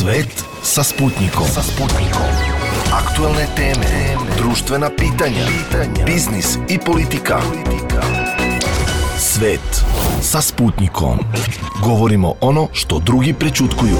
Svet sa Sputnikom. Aktuelne teme, društvena pitanja, biznis i politika. Svet sa Sputnikom. Govorimo ono što drugi prećutkuju.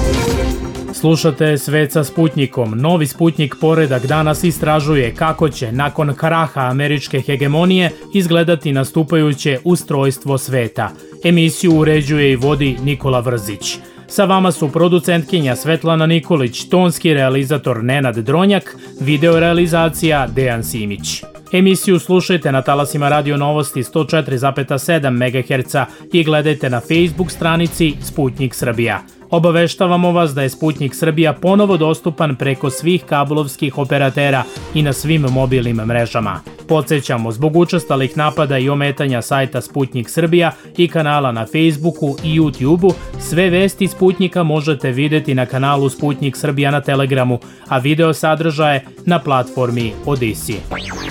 Slušate Svet sa Sputnikom. Novi Sputnik poredak danas istražuje kako će nakon kraha američke hegemonije izgledati nastupajuće ustrojstvo sveta. Emisiju uređuje i vodi Nikola Vrzić. Sa vama su producentkinja Svetlana Nikolić, tonski realizator Nenad Dronjak, video realizacija Dejan Simić. Emisiju slušajte na talasima Radio Novosti 104,7 MHz i gledajte na Facebook stranici Sputnik Srbija. Obaveštavamo vas da je Sputnik Srbija ponovo dostupan preko svih kablovskih operatera i na svim mobilnim mrežama. Podsjećamo, zbog učestalih napada i ometanja sajta Sputnik Srbija i kanala na Facebooku i YouTubeu, sve vesti Sputnika možete videti na kanalu Sputnik Srbija na Telegramu, a video sadržaje na platformi Odisi.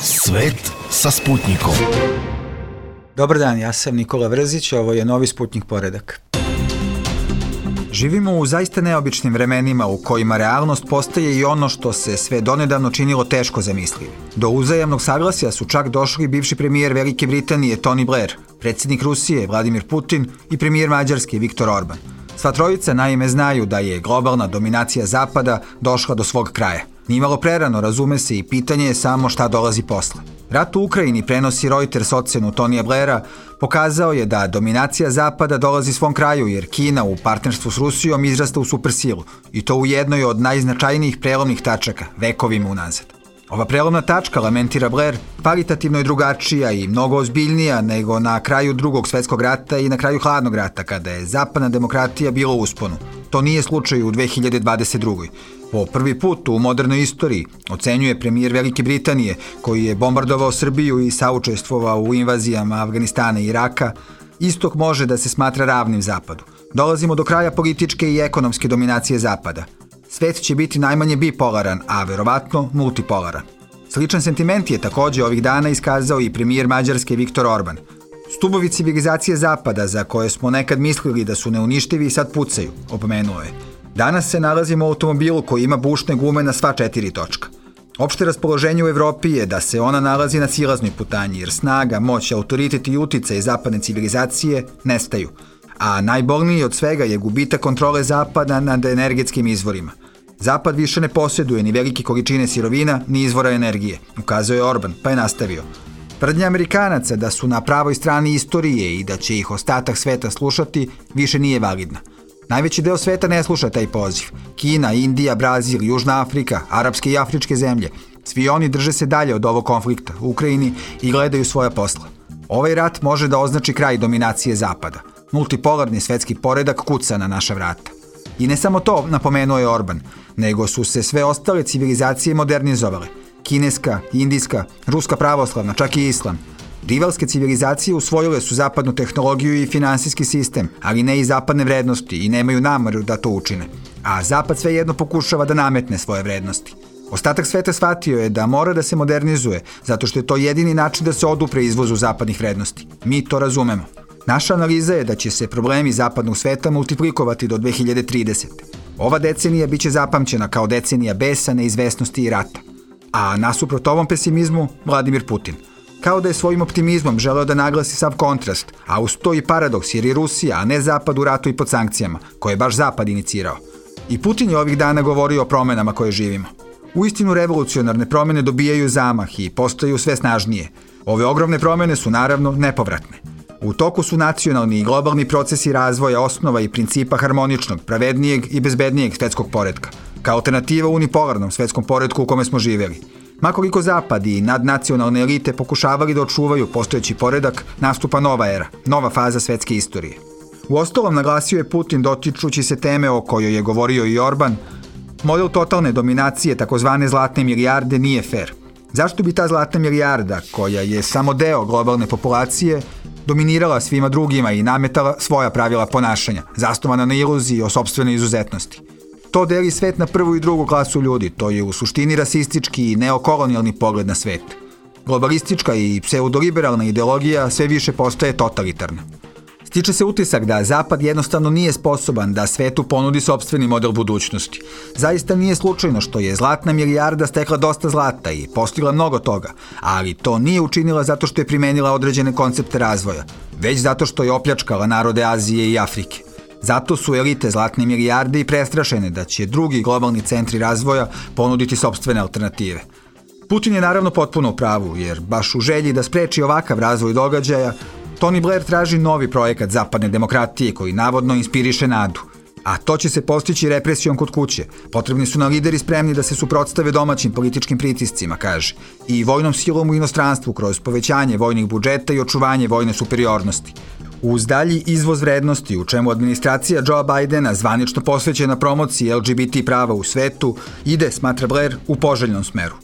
Svet sa Sputnikom. Dobar dan, ja sam Nikola Vrzić, ovo je novi Sputnik poredak. Živimo u zaista neobičnim vremenima u kojima realnost postaje i ono što se sve donedavno činilo teško zamislivo. Do uzajamnog saglasja su čak došli bivši premijer Velike Britanije Tony Blair, predsjednik Rusije Vladimir Putin i premijer Mađarske Viktor Orban. Sva trojica naime znaju da je globalna dominacija Zapada došla do svog kraja. Nimalo prerano, razume se, i pitanje je samo šta dolazi posle. Rat u Ukrajini, prenosi Reuters ocenu Tonija Blaira, pokazao je da dominacija Zapada dolazi svom kraju jer Kina u partnerstvu s Rusijom izrasta u supersilu i to u jednoj od najznačajnijih prelomnih tačaka, vekovima unazad. Ova prelomna tačka, lamentira Blair, kvalitativno je drugačija i mnogo ozbiljnija nego na kraju Drugog svetskog rata i na kraju Hladnog rata, kada je zapadna demokratija bila u usponu. To nije slučaj u 2022. Po prvi put u modernoj istoriji, ocenjuje premijer Velike Britanije, koji je bombardovao Srbiju i saučestvovao u invazijama Afganistana i Iraka, istok može da se smatra ravnim Zapadu. Dolazimo do kraja političke i ekonomske dominacije Zapada. Svet će biti najmanje bipolaran, a verovatno multipolaran. Sličan sentiment je takođe ovih dana iskazao i premijer Mađarske Viktor Orban. Stubovi civilizacije Zapada, za koje smo nekad mislili da su neuništivi, sad pucaju, opomenuo je. Danas se nalazimo u automobilu koji ima bušne gume na sva 4 točka. Opšte raspoloženje u Evropi je da se ona nalazi na silaznoj putanji, jer snaga, moć, autoritet i uticaj zapadne civilizacije nestaju. A najbolniji od svega je gubitak kontrole Zapada nad energetskim izvorima. Zapad više ne posjeduje ni velike količine sirovina, ni izvora energije, ukazao je Orban, pa je nastavio. Tvrdnja Amerikanaca da su na pravoj strani istorije i da će ih ostatak sveta slušati više nije validna. Najveći deo sveta ne sluša taj poziv. Kina, Indija, Brazil, Južna Afrika, arapske i afričke zemlje. Svi oni drže se dalje od ovog konflikta u Ukrajini i gledaju svoja posla. Ovaj rat može da označi kraj dominacije Zapada. Multipolarni svetski poredak kuca na naša vrata. I ne samo to, napomenuo je Orban, nego su se sve ostale civilizacije modernizovale. Kineska, indijska, ruska pravoslavna, čak i islam. Rivalske civilizacije usvojile su zapadnu tehnologiju i finansijski sistem, ali ne i zapadne vrednosti i nemaju nameru da to učine. A Zapad svejedno pokušava da nametne svoje vrednosti. Ostatak sveta shvatio je da mora da se modernizuje, zato što je to jedini način da se odupre izvozu zapadnih vrednosti. Mi to razumemo. Naša analiza je da će se problemi zapadnog sveta multiplikovati do 2030. Ova decenija biće zapamćena kao decenija besa, neizvesnosti i rata. A nasuprot ovom pesimizmu, Vladimir Putin. Kao da je svojim optimizmom želeo da naglasi sav kontrast, a uz to i paradoks jer je Rusija, a ne Zapad u ratu i pod sankcijama, koje je baš Zapad inicirao. I Putin je ovih dana govorio o promenama koje živimo. Uistinu revolucionarne promene dobijaju zamah i postaju sve snažnije. Ove ogromne promene su naravno nepovratne. U toku su nacionalni i globalni procesi razvoja osnova i principa harmoničnog, pravednijeg i bezbednijeg svetskog poretka, kao alternativa unipolarnom svetskom poretku u kome smo živeli. Makoliko Zapad i nadnacionalne elite pokušavali da očuvaju postojeći poredak, nastupa nova era, nova faza svetske istorije. Uostalom, naglasio je Putin dotičući se teme o kojoj je govorio i Orban, model totalne dominacije takozvane zlatne milijarde nije fair. Zašto bi ta zlatna milijarda, koja je samo deo globalne populacije, dominirala svima drugima i nametala svoja pravila ponašanja, zasnovana na iluziji o sopstvenoj izuzetnosti? To deli svet na prvu i drugu klasu ljudi, to je u suštini rasistički i neokolonijalni pogled na svet. Globalistička i pseudoliberalna ideologija sve više postaje totalitarna. Stiče se utisak da Zapad jednostavno nije sposoban da svetu ponudi sopstveni model budućnosti. Zaista nije slučajno što je zlatna milijarda stekla dosta zlata i postigla mnogo toga, ali to nije učinila zato što je primenila određene koncepte razvoja, već zato što je opljačkala narode Azije i Afrike. Zato su elite zlatne milijarde i prestrašene da će drugi globalni centri razvoja ponuditi sopstvene alternative. Putin je naravno potpuno u pravu, jer baš u želji da spreči ovakav razvoj događaja, Tony Blair traži novi projekat zapadne demokratije koji navodno inspiriše nadu. A to će se postići represijom kod kuće. Potrebni su nam lideri spremni da se suprotstave domaćim političkim pritiscima, kaže, i vojnom silom u inostranstvu kroz povećanje vojnih budžeta i očuvanje vojne superiornosti. Uz dalji izvoz vrednosti, u čemu administracija Joea Bidena, zvanično posvećena promociji LGBT prava u svetu, ide, smatra Blair, u poželjnom smeru.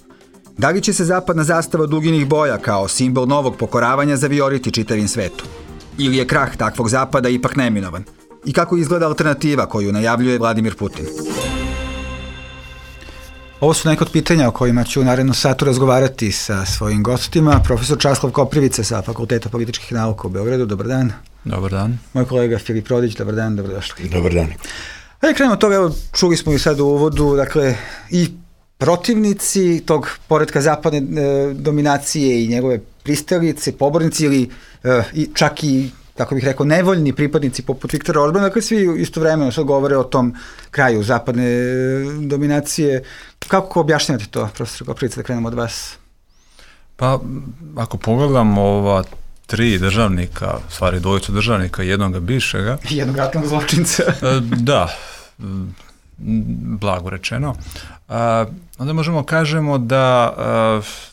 Da li će se zapadna zastava duginih boja kao simbol novog pokoravanja zavijoriti čitavim svetu? Ili je krah takvog zapada ipak neminovan? I kako izgleda alternativa koju najavljuje Vladimir Putin? Ovo su neka od pitanja o kojima ću u narednom satu razgovarati sa svojim gostima. Profesor Časlav Koprivica sa Fakulteta političkih nauka u Beogradu. Dobar dan. Dobar dan. Moj kolega Filip Rodić. Dobar dan, dobrodošli. Dobar dan. Ajde krenemo od toga, evo, čuli smo i sad u uvodu, dakle, i protivnici tog poretka zapadne dominacije i njegove pristalice, pobornici ili čak i, tako bih rekao, nevoljni pripadnici poput Viktora Orbana, dakle svi istovremeno sad govore o tom kraju zapadne dominacije. Kako objašnjavate to, profesor Koprivica, da krenemo od vas? Pa, ako pogledamo ova tri državnika, stvari dvojicu državnika i jednoga bivšega. Jednog ratnog zločinca. Da, blago rečeno. Onda možemo kažemo da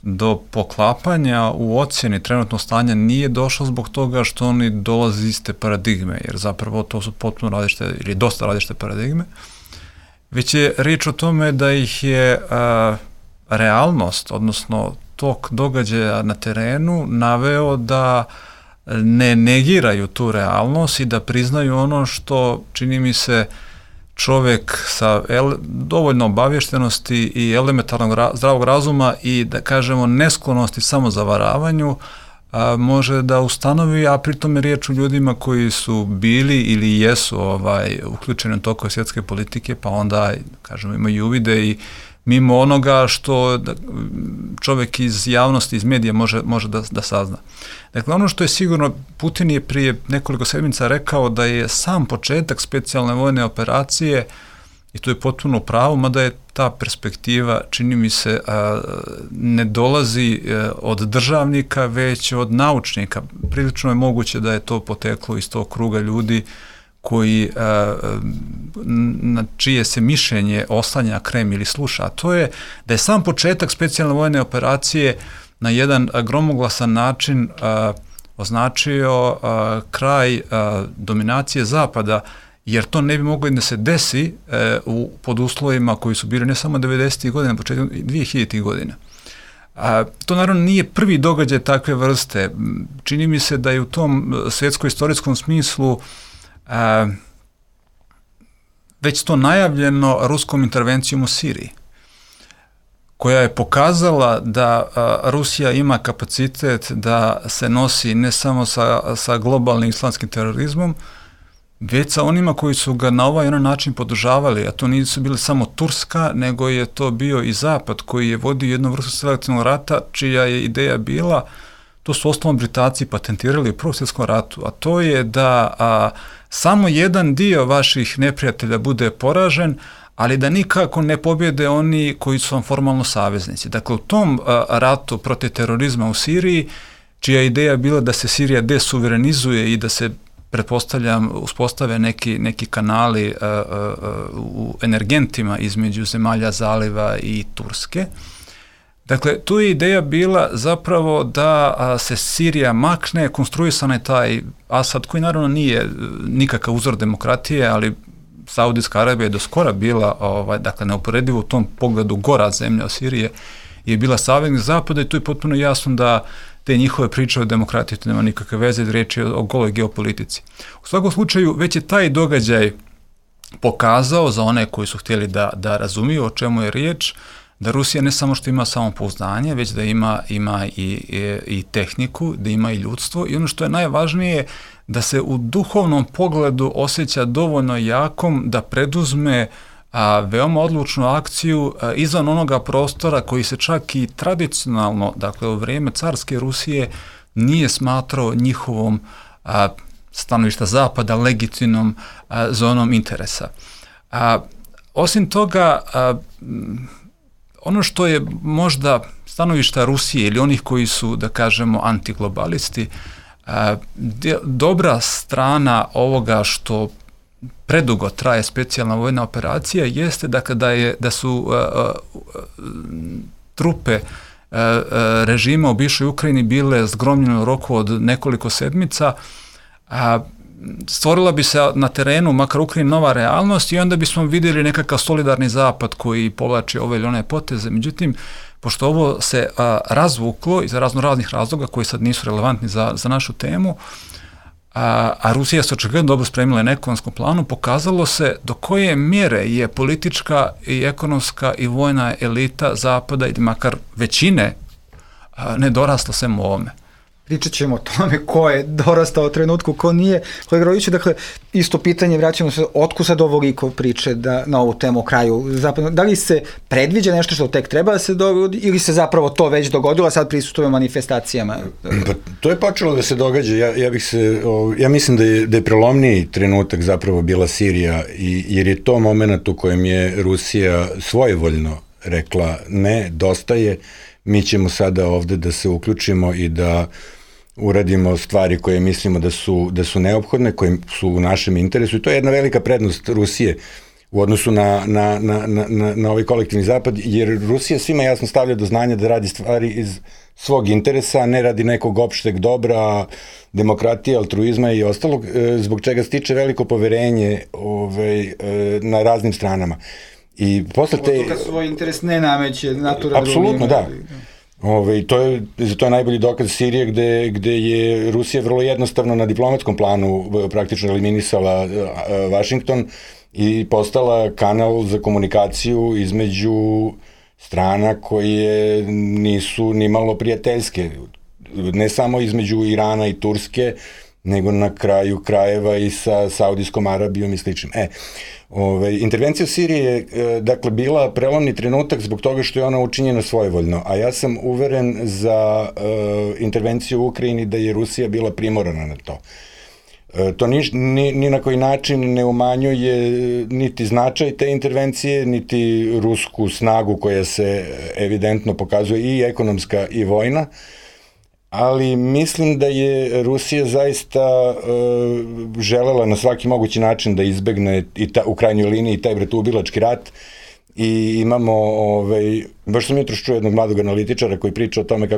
do poklapanja u ocjeni trenutnog stanja nije došlo zbog toga što oni dolaze iz iste paradigme, jer zapravo to su potpuno različite ili dosta različite paradigme, već je riječ o tome da ih je realnost, odnosno tok događaja na terenu naveo da ne negiraju tu realnost i da priznaju ono što, čini mi se, čovjek sa dovoljno obavještenosti i elementarnog zdravog razuma i, da kažemo, nesklonosti samozavaravanju može da ustanovi, a pritom je riječ o ljudima koji su bili ili jesu uključeni u tokove svjetske politike, pa onda, kažemo, imaju uvide i mimo onoga što čovjek iz javnosti, iz medija može da sazna. Dakle, ono što je sigurno, Putin je prije nekoliko sedmica rekao da je sam početak specijalne vojne operacije, i to je potpuno pravo, mada je ta perspektiva, čini mi se, ne dolazi od državnika, već od naučnika. Prilično je moguće da je to poteklo iz tog kruga ljudi koji, na čije se mišljenje oslanja Kreml ili sluša, a to je da je sam početak specijalne vojne operacije na jedan gromoglasan način označio kraj dominacije Zapada, jer to ne bi moglo da se desi pod uslovima koji su bili ne samo 90. godina, početkom 2000. godina. To naravno nije prvi događaj takve vrste. Čini mi se da je u tom svjetsko-istorijskom smislu već to najavljeno ruskom intervencijom u Siriji, koja je pokazala da Rusija ima kapacitet da se nosi ne samo sa globalnim islamskim terorizmom, već sa onima koji su ga na ovaj način podržavali, a to nisu bili samo Turska, nego je to bio i Zapad koji je vodio jednu vrstu selektivnog rata, čija je ideja bila, to su osnovno Britanci patentirali u Prvom svjetskom ratu, a to je da samo jedan dio vaših neprijatelja bude poražen, ali da nikako ne pobjede oni koji su vam formalno saveznici. Dakle, u tom ratu protiv terorizma u Siriji, čija ideja bila da se Sirija desuverenizuje i da se, pretpostavljam, uspostave neki kanali u energentima između zemalja zaliva i Turske. Dakle, tu je ideja bila zapravo da se Sirija makne, konstruisan je taj Asad, koji naravno nije nikakav uzor demokratije, ali Saudijska Arabija je do skora bila, dakle, neuporedivo u tom pogledu gora zemlja od Sirije, je bila saveznik Zapada i tu je potpuno jasno da te njihove priče o demokratiji to nema nikakve veze, riječ je o goloj geopolitici. U svakom slučaju, već je taj događaj pokazao za one koji su htjeli da razumiju o čemu je riječ, da Rusija ne samo što ima samopouzdanje, već da ima i tehniku, da ima i ljudstvo i ono što je najvažnije, da se u duhovnom pogledu osjeća dovoljno jakom da preduzme veoma odlučnu akciju izvan onoga prostora koji se čak i tradicionalno, dakle u vrijeme carske Rusije, nije smatrao njihovom stanovišta Zapada legitimnom zonom interesa. Osim toga, ono što je možda stanovišta Rusije ili onih koji su, da kažemo, antiglobalisti, dobra strana ovoga što predugo traje specijalna vojna operacija jeste dakle, da su trupe režima u bivšoj Ukrajini bile zgromljene u roku od nekoliko sedmica, stvorila bi se na terenu, makar Ukrajini, nova realnost i onda bismo vidjeli nekakav solidarni zapad koji povlači ove ili one poteze. Međutim, pošto ovo se razvuklo iz raznih razloga koji sad nisu relevantni za našu temu, a Rusija se očigledno dobro spremila na ekonomskom planu, pokazalo se do koje mjere je politička i ekonomska i vojna elita Zapada, ili makar većine, nedorasla svemu ovome. Pričat ćemo o tome ko je dorastao u trenutku, ko nije. Kolega Rodiću, dakle, isto pitanje, vraćamo se, otkud sad ovoliko priče na ovu temu o kraju zapadnog? Da li se predviđa nešto što tek treba da se dogodi ili se zapravo to već dogodilo, a sad prisustuje manifestacijama? Pa, to je počelo da se događa. Ja mislim da je prelomniji trenutak zapravo bila Sirija, jer je to moment u kojem je Rusija svojevoljno rekla ne, dosta je, mi ćemo sada ovde da se uključimo i da uradimo stvari koje mislimo da su neophodne, koje su u našem interesu i to je jedna velika prednost Rusije u odnosu na ovaj kolektivni zapad, jer Rusija svima jasno stavlja do znanja da radi stvari iz svog interesa, a ne radi nekog opšteg dobra, demokratije, altruizma i ostalog, zbog čega stiče veliko poverenje na raznim stranama. I posle te... Kad svoj interes ne nameće naturalno... Apsolutno, da. To je najbolji dokaz Sirije gde je Rusija vrlo jednostavno na diplomatskom planu praktično eliminisala Vašington i postala kanal za komunikaciju između strana koje nisu ni malo prijateljske. Ne samo između Irana i Turske, nego na kraju krajeva i sa Saudijskom Arabijom i sličnim. Intervencija u Siriji je dakle bila prelomni trenutak zbog toga što je ona učinjena svojevoljno, a ja sam uveren za intervenciju u Ukrajini da je Rusija bila primorana na to. To ni na koji način ne umanjuje niti značaj te intervencije, niti rusku snagu koja se evidentno pokazuje i ekonomska i vojna, ali mislim da je Rusija zaista želela na svaki mogući način da izbegne u krajnjoj liniji taj bratoubilački rat i imamo, baš sam jutros čuo jednog mladog analitičara koji priča o tome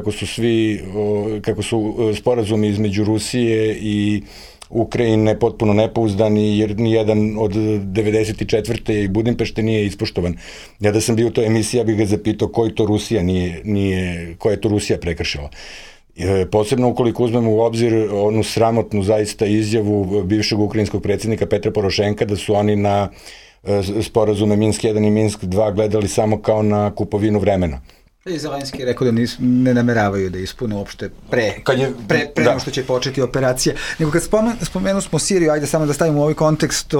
kako su sporazumi između Rusije i Ukrajine potpuno nepouzdani, jer nijedan od 94. i Budimpešte nije ispoštovan. Ja da sam bio u toj emisiji, ja bih ga zapitao koja je to Rusija prekršila. Posebno ukoliko uzmemo u obzir onu sramotnu zaista izjavu bivšeg ukrajinskog predsjednika Petra Porošenka da su oni na sporazume Minsk 1 i Minsk 2 gledali samo kao na kupovinu vremena. I Zelenski je rekao da ne nameravaju da ispune uopšte pre nego što će početi operacija. Nego kad spomenu smo Siriju, ajde samo da stavimo u ovaj kontekst,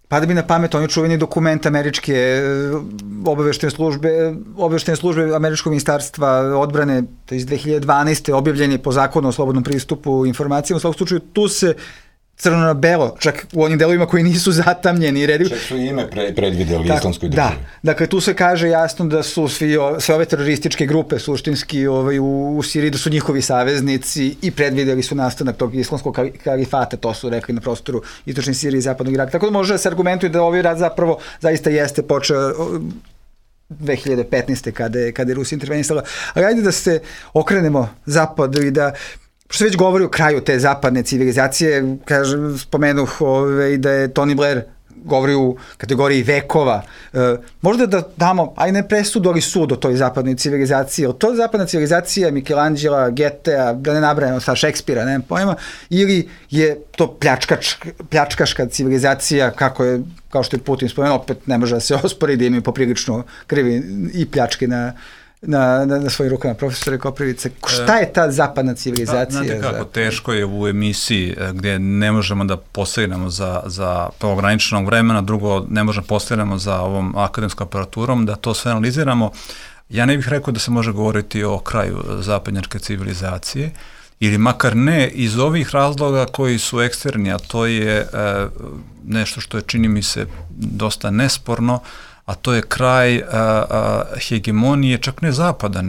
pada mi na pamet on je čuveni dokument američke obaveštene službe američkog ministarstva odbrane, to je iz 2012. objavljen je po zakonu o slobodnom pristupu informacijama. U svakom slučaju tu se crno na belo, čak u onim delovima koji nisu zatamljeni. Čak su ime predvideli islamskoj državi. Da, dakle tu se kaže jasno da su sve ove terorističke grupe suštinski u Siriji, da su njihovi saveznici i predvideli su nastanak tog islamskog kalifata, to su rekli na prostoru istočne Sirije i zapadnog Iraka. Tako da može da se argumentuje da ovaj rat zapravo zaista jeste počeo 2015. kada je Rusija intervenisala. Ali ajde da se okrenemo zapadu i da što se već govori o kraju te zapadne civilizacije, spomenuh da je Tony Blair govori u kategoriji vekova. Možda da damo, aj ne presudu, ali sud o toj zapadnoj civilizaciji. Je li to zapadna civilizacija Michelangela, Goethea, da ne nabrajamo sa Šekspira, nemam pojma, ili je to pljačkaška civilizacija, kao što je Putin spomenuo, opet ne može da se ospori da imaju poprilično krivi i pljačke na svojim rukama, profesore Koprivice. Šta je ta zapadna civilizacija? Znate kako, teško je u emisiji gdje ne možemo da postignemo za ograničenog vremena, drugo ne možemo postignemo za ovom akademskom aparaturom, da to sve analiziramo. Ja ne bih rekao da se može govoriti o kraju zapadnjačke civilizacije, ili makar ne iz ovih razloga koji su eksterni, a to je nešto što je, čini mi se, dosta nesporno, a to je kraj hegemonije, čak ne zapada,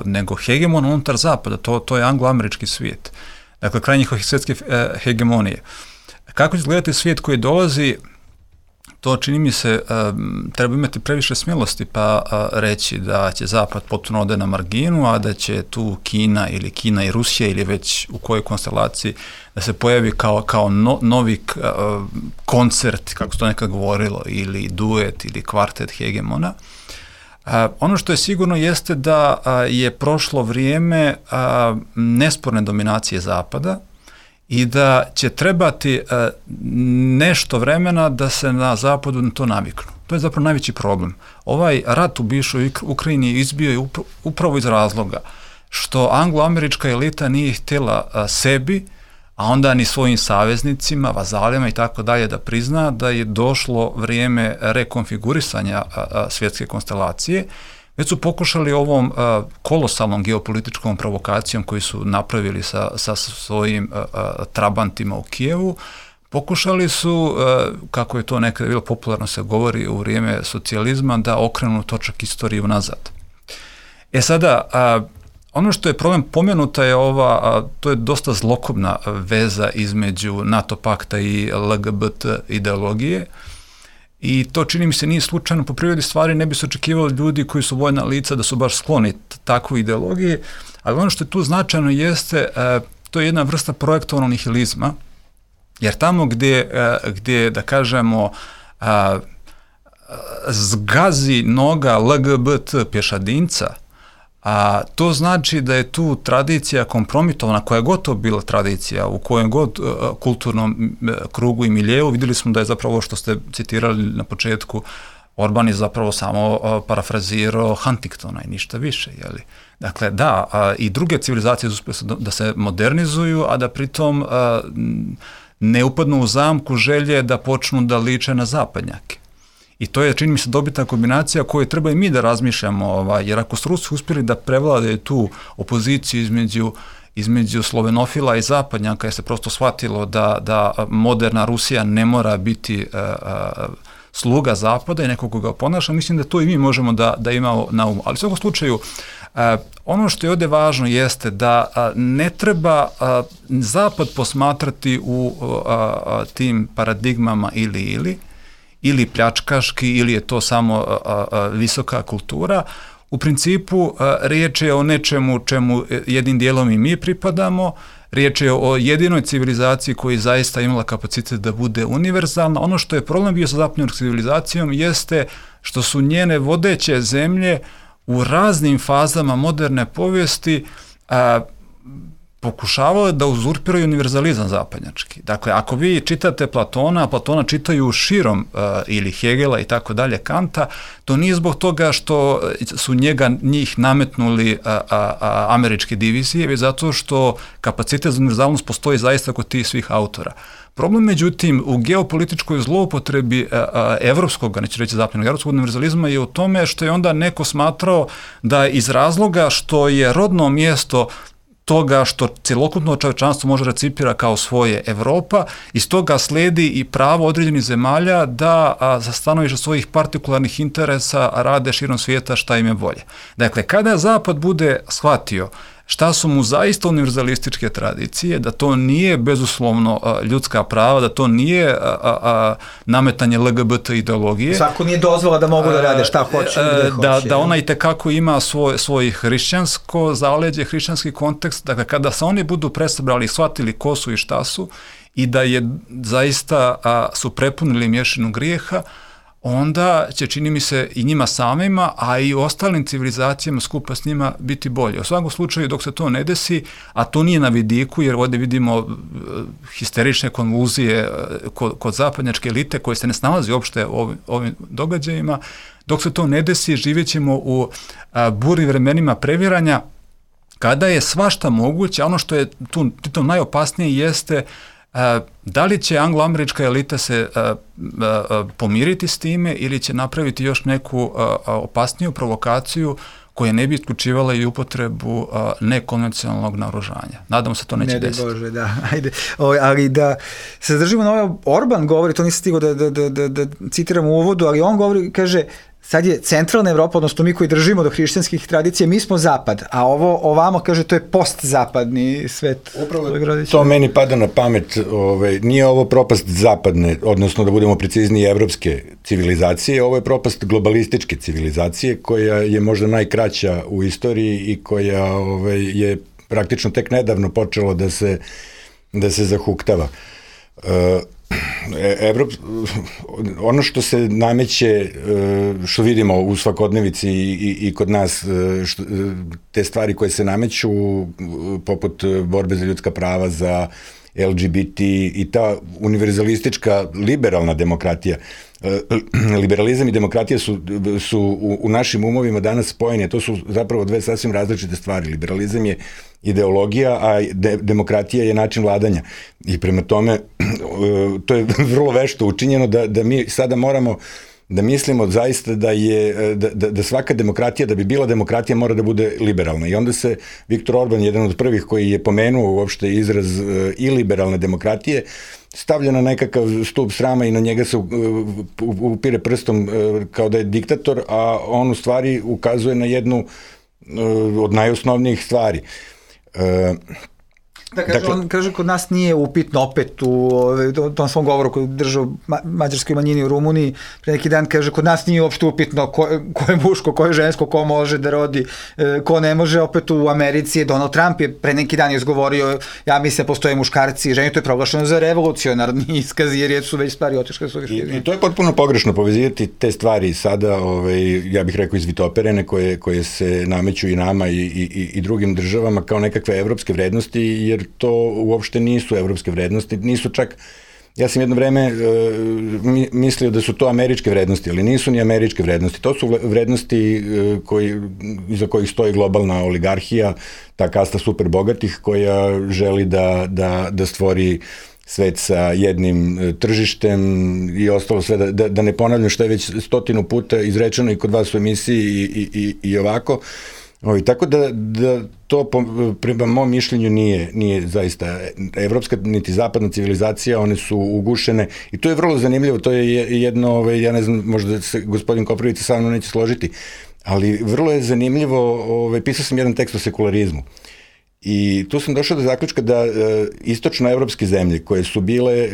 nego hegemona unutar zapada, to je anglo-američki svijet. Dakle, kraj njihove svjetske hegemonije. Kako će izgledati svijet koji dolazi, to čini mi se, treba imati previše smjelosti pa reći da će zapad potpuno ode na marginu, a da će tu Kina i Rusija ili već u kojoj konstelaciji da se pojavi kao novi koncert, kako se to nekad govorilo, ili duet ili kvartet hegemona. Ono što je sigurno jeste da je prošlo vrijeme nesporne dominacije zapada i da će trebati nešto vremena da se na zapadu na to naviknu. To je zapravo najveći problem. Ovaj rat u bivšoj Ukrajini izbio je upravo iz razloga što anglo-američka elita nije htjela sebi, a onda ni svojim saveznicima, vazalima i tako dalje da prizna da je došlo vrijeme rekonfigurisanja svjetske konstelacije. Već su pokušali ovom kolosalnom geopolitičkom provokacijom koju su napravili sa svojim trabantima u Kijevu, pokušali su, kako je to nekada bilo popularno se govori u vrijeme socijalizma, da okrenu točak istoriju nazad. Sada, ono što je problem pomenuta je to je dosta zlokobna veza između NATO pakta i LGBT ideologije. I to, čini mi se, nije slučajno. Po prirodi stvari ne bi se očekivali ljudi koji su vojna lica da su baš skloni takvoj ideologiji, ali ono što je tu značajno jeste, to je jedna vrsta projektovanog nihilizma, jer tamo gdje da kažemo, zgazi noga LGBT pješadinca, a to znači da je tu tradicija kompromitovana, koja je gotovo bila tradicija u kojem god kulturnom krugu i miljeu. Vidjeli smo da je zapravo ovo što ste citirali na početku, Orban je zapravo samo parafrazirao Huntingtona i ništa više. Jeli? Dakle, da, i druge civilizacije uspjeli da se modernizuju, a da pritom ne upadnu u zamku želje da počnu da liče na zapadnjake. I to je, čini mi se, dobitna kombinacija koju treba i mi da razmišljamo, jer ako su Rusi uspjeli da prevladaju tu opoziciju između slovenofila i zapadnjaka, jer se prosto shvatilo da moderna Rusija ne mora biti sluga zapada i nekog koga ponaša, mislim da to i mi možemo da imamo na umu. Ali u svakom slučaju, ono što je ovdje važno jeste da ne treba zapad posmatrati u tim paradigmama ili pljačkaški, ili je to samo visoka kultura. U principu riječ je o nečemu čemu jednim dijelom i mi pripadamo, riječ je o jedinoj civilizaciji koja zaista imala kapacitet da bude univerzalna. Ono što je problem bio sa zapadnom civilizacijom jeste što su njene vodeće zemlje u raznim fazama moderne povijesti pokušavale da uzurpiraju univerzalizam zapadnjački. Dakle, ako vi čitate Platona čitaju širom ili Hegela i tako dalje, Kanta, to nije zbog toga što su njih nametnuli američke divizije, već zato što kapacitet za univerzalnost postoji zaista kod tih svih autora. Problem, međutim, u geopolitičkoj zloupotrebi evropskog, neću reći zapadnog, evropskog univerzalizma je u tome što je onda neko smatrao da iz razloga što je rodno mjesto toga što cjelokupno čovječanstvo može recipira kao svoje Evropa, iz toga slijedi i pravo određenih zemalja da za stanovište svojih partikularnih interesa rade širom svijeta šta im je volje. Dakle, kada Zapad bude shvatio šta su mu zaista univerzalističke tradicije, da to nije bezuslovno ljudska prava, da to nije nametanje LGBT ideologije. Svako nije dozvola da mogu da rade šta hoće. Da ona itekako ima svoj hrišćansko zaleđe, hrišćanski kontekst. Dakle, kada se oni budu presabrali i shvatili ko su i šta su i da je zaista su prepunili mješinu grijeha, onda će, čini mi se, i njima samima, a i ostalim civilizacijama skupa s njima biti bolje. U svakom slučaju, dok se to ne desi, a to nije na vidiku, jer ovdje vidimo histerične konvulzije kod zapadnjačke elite koje se ne snalazi uopšte u ovim događajima, dok se to ne desi, živjet ćemo u burnim vremenima previranja, kada je svašta moguće. Ono što je tu najopasnije jeste da li će anglo-američka elita se pomiriti s time ili će napraviti još neku opasniju provokaciju koja ne bi isključivala i upotrebu nekonvencionalnog naoružanja. Nadamo se to neće desiti. Bože, da, ajde. Ali da se zadržimo na ovo, Orban govori, to nisam stigao da citiram u uvodu, ali on govori, kaže, sad je centralna Evropa, odnosno mi koji držimo do hrišćanskih tradicija, mi smo zapad, a ovamo, kaže, to je postzapadni svet. Upravo to meni pada na pamet, nije ovo propast zapadne, odnosno da budemo precizniji evropske civilizacije, ovo je propast globalističke civilizacije koja je možda najkraća u istoriji i koja je praktično tek nedavno počelo da se zahuktava. Ono što se nameće, što vidimo u svakodnevici i kod nas, te stvari koje se nameću poput borbe za ljudska prava, za LGBT i ta univerzalistička liberalna demokratija. Liberalizam i demokratija su u našim umovima danas spojene. To su zapravo dve sasvim različite stvari. Liberalizam je ideologija, a demokratija je način vladanja. I prema tome, to je vrlo vešto učinjeno da mi sada moramo da mislimo zaista da svaka demokratija, da bi bila demokratija, mora da bude liberalna. I onda se Viktor Orban, jedan od prvih koji je pomenuo uopšte izraz i liberalne demokratije, stavlja na nekakav stup srama i na njega se upire prstom kao da je diktator, a on u stvari ukazuje na jednu od najosnovnijih stvari. On kaže, kod nas nije upitno opet u tom svom govoru koji držao mađarskoj manjini u Rumuniji, pre neki dan kaže, kod nas nije uopšte upitno ko je muško, ko je žensko, ko može da rodi, ko ne može. Opet u Americi Donald Trump je pre neki dan izgovorio, ja mislim postoje muškarci i žene, to je proglašeno za revolucionarni iskaz, jer su već stvari otišle su I to je potpuno pogrešno povezivati te stvari sada, ja bih rekao izvitoperene koje se nameću i nama i drugim državama kao nekakve evropske vrednosti, jer to uopšte nisu evropske vrednosti, nisu čak, ja sam jedno vreme mislio da su to američke vrednosti, ali nisu ni američke vrednosti, to su vrednosti iza kojih stoji globalna oligarhija, ta kasta super bogatih koja želi da stvori svet sa jednim tržištem i ostalo sve, da ne ponavljam što je već 100 puta izrečeno i kod vas u emisiji i ovako. Tako da to prema mom mišljenju nije zaista evropska niti zapadna civilizacija, one su ugušene i to je vrlo zanimljivo, to je jedno, ja ne znam, možda se gospodin Koprivica sa mnom neće složiti, ali vrlo je zanimljivo, pisao sam jedan tekst o sekularizmu i tu sam došao do zaključka da istočnoevropske zemlje koje su bile,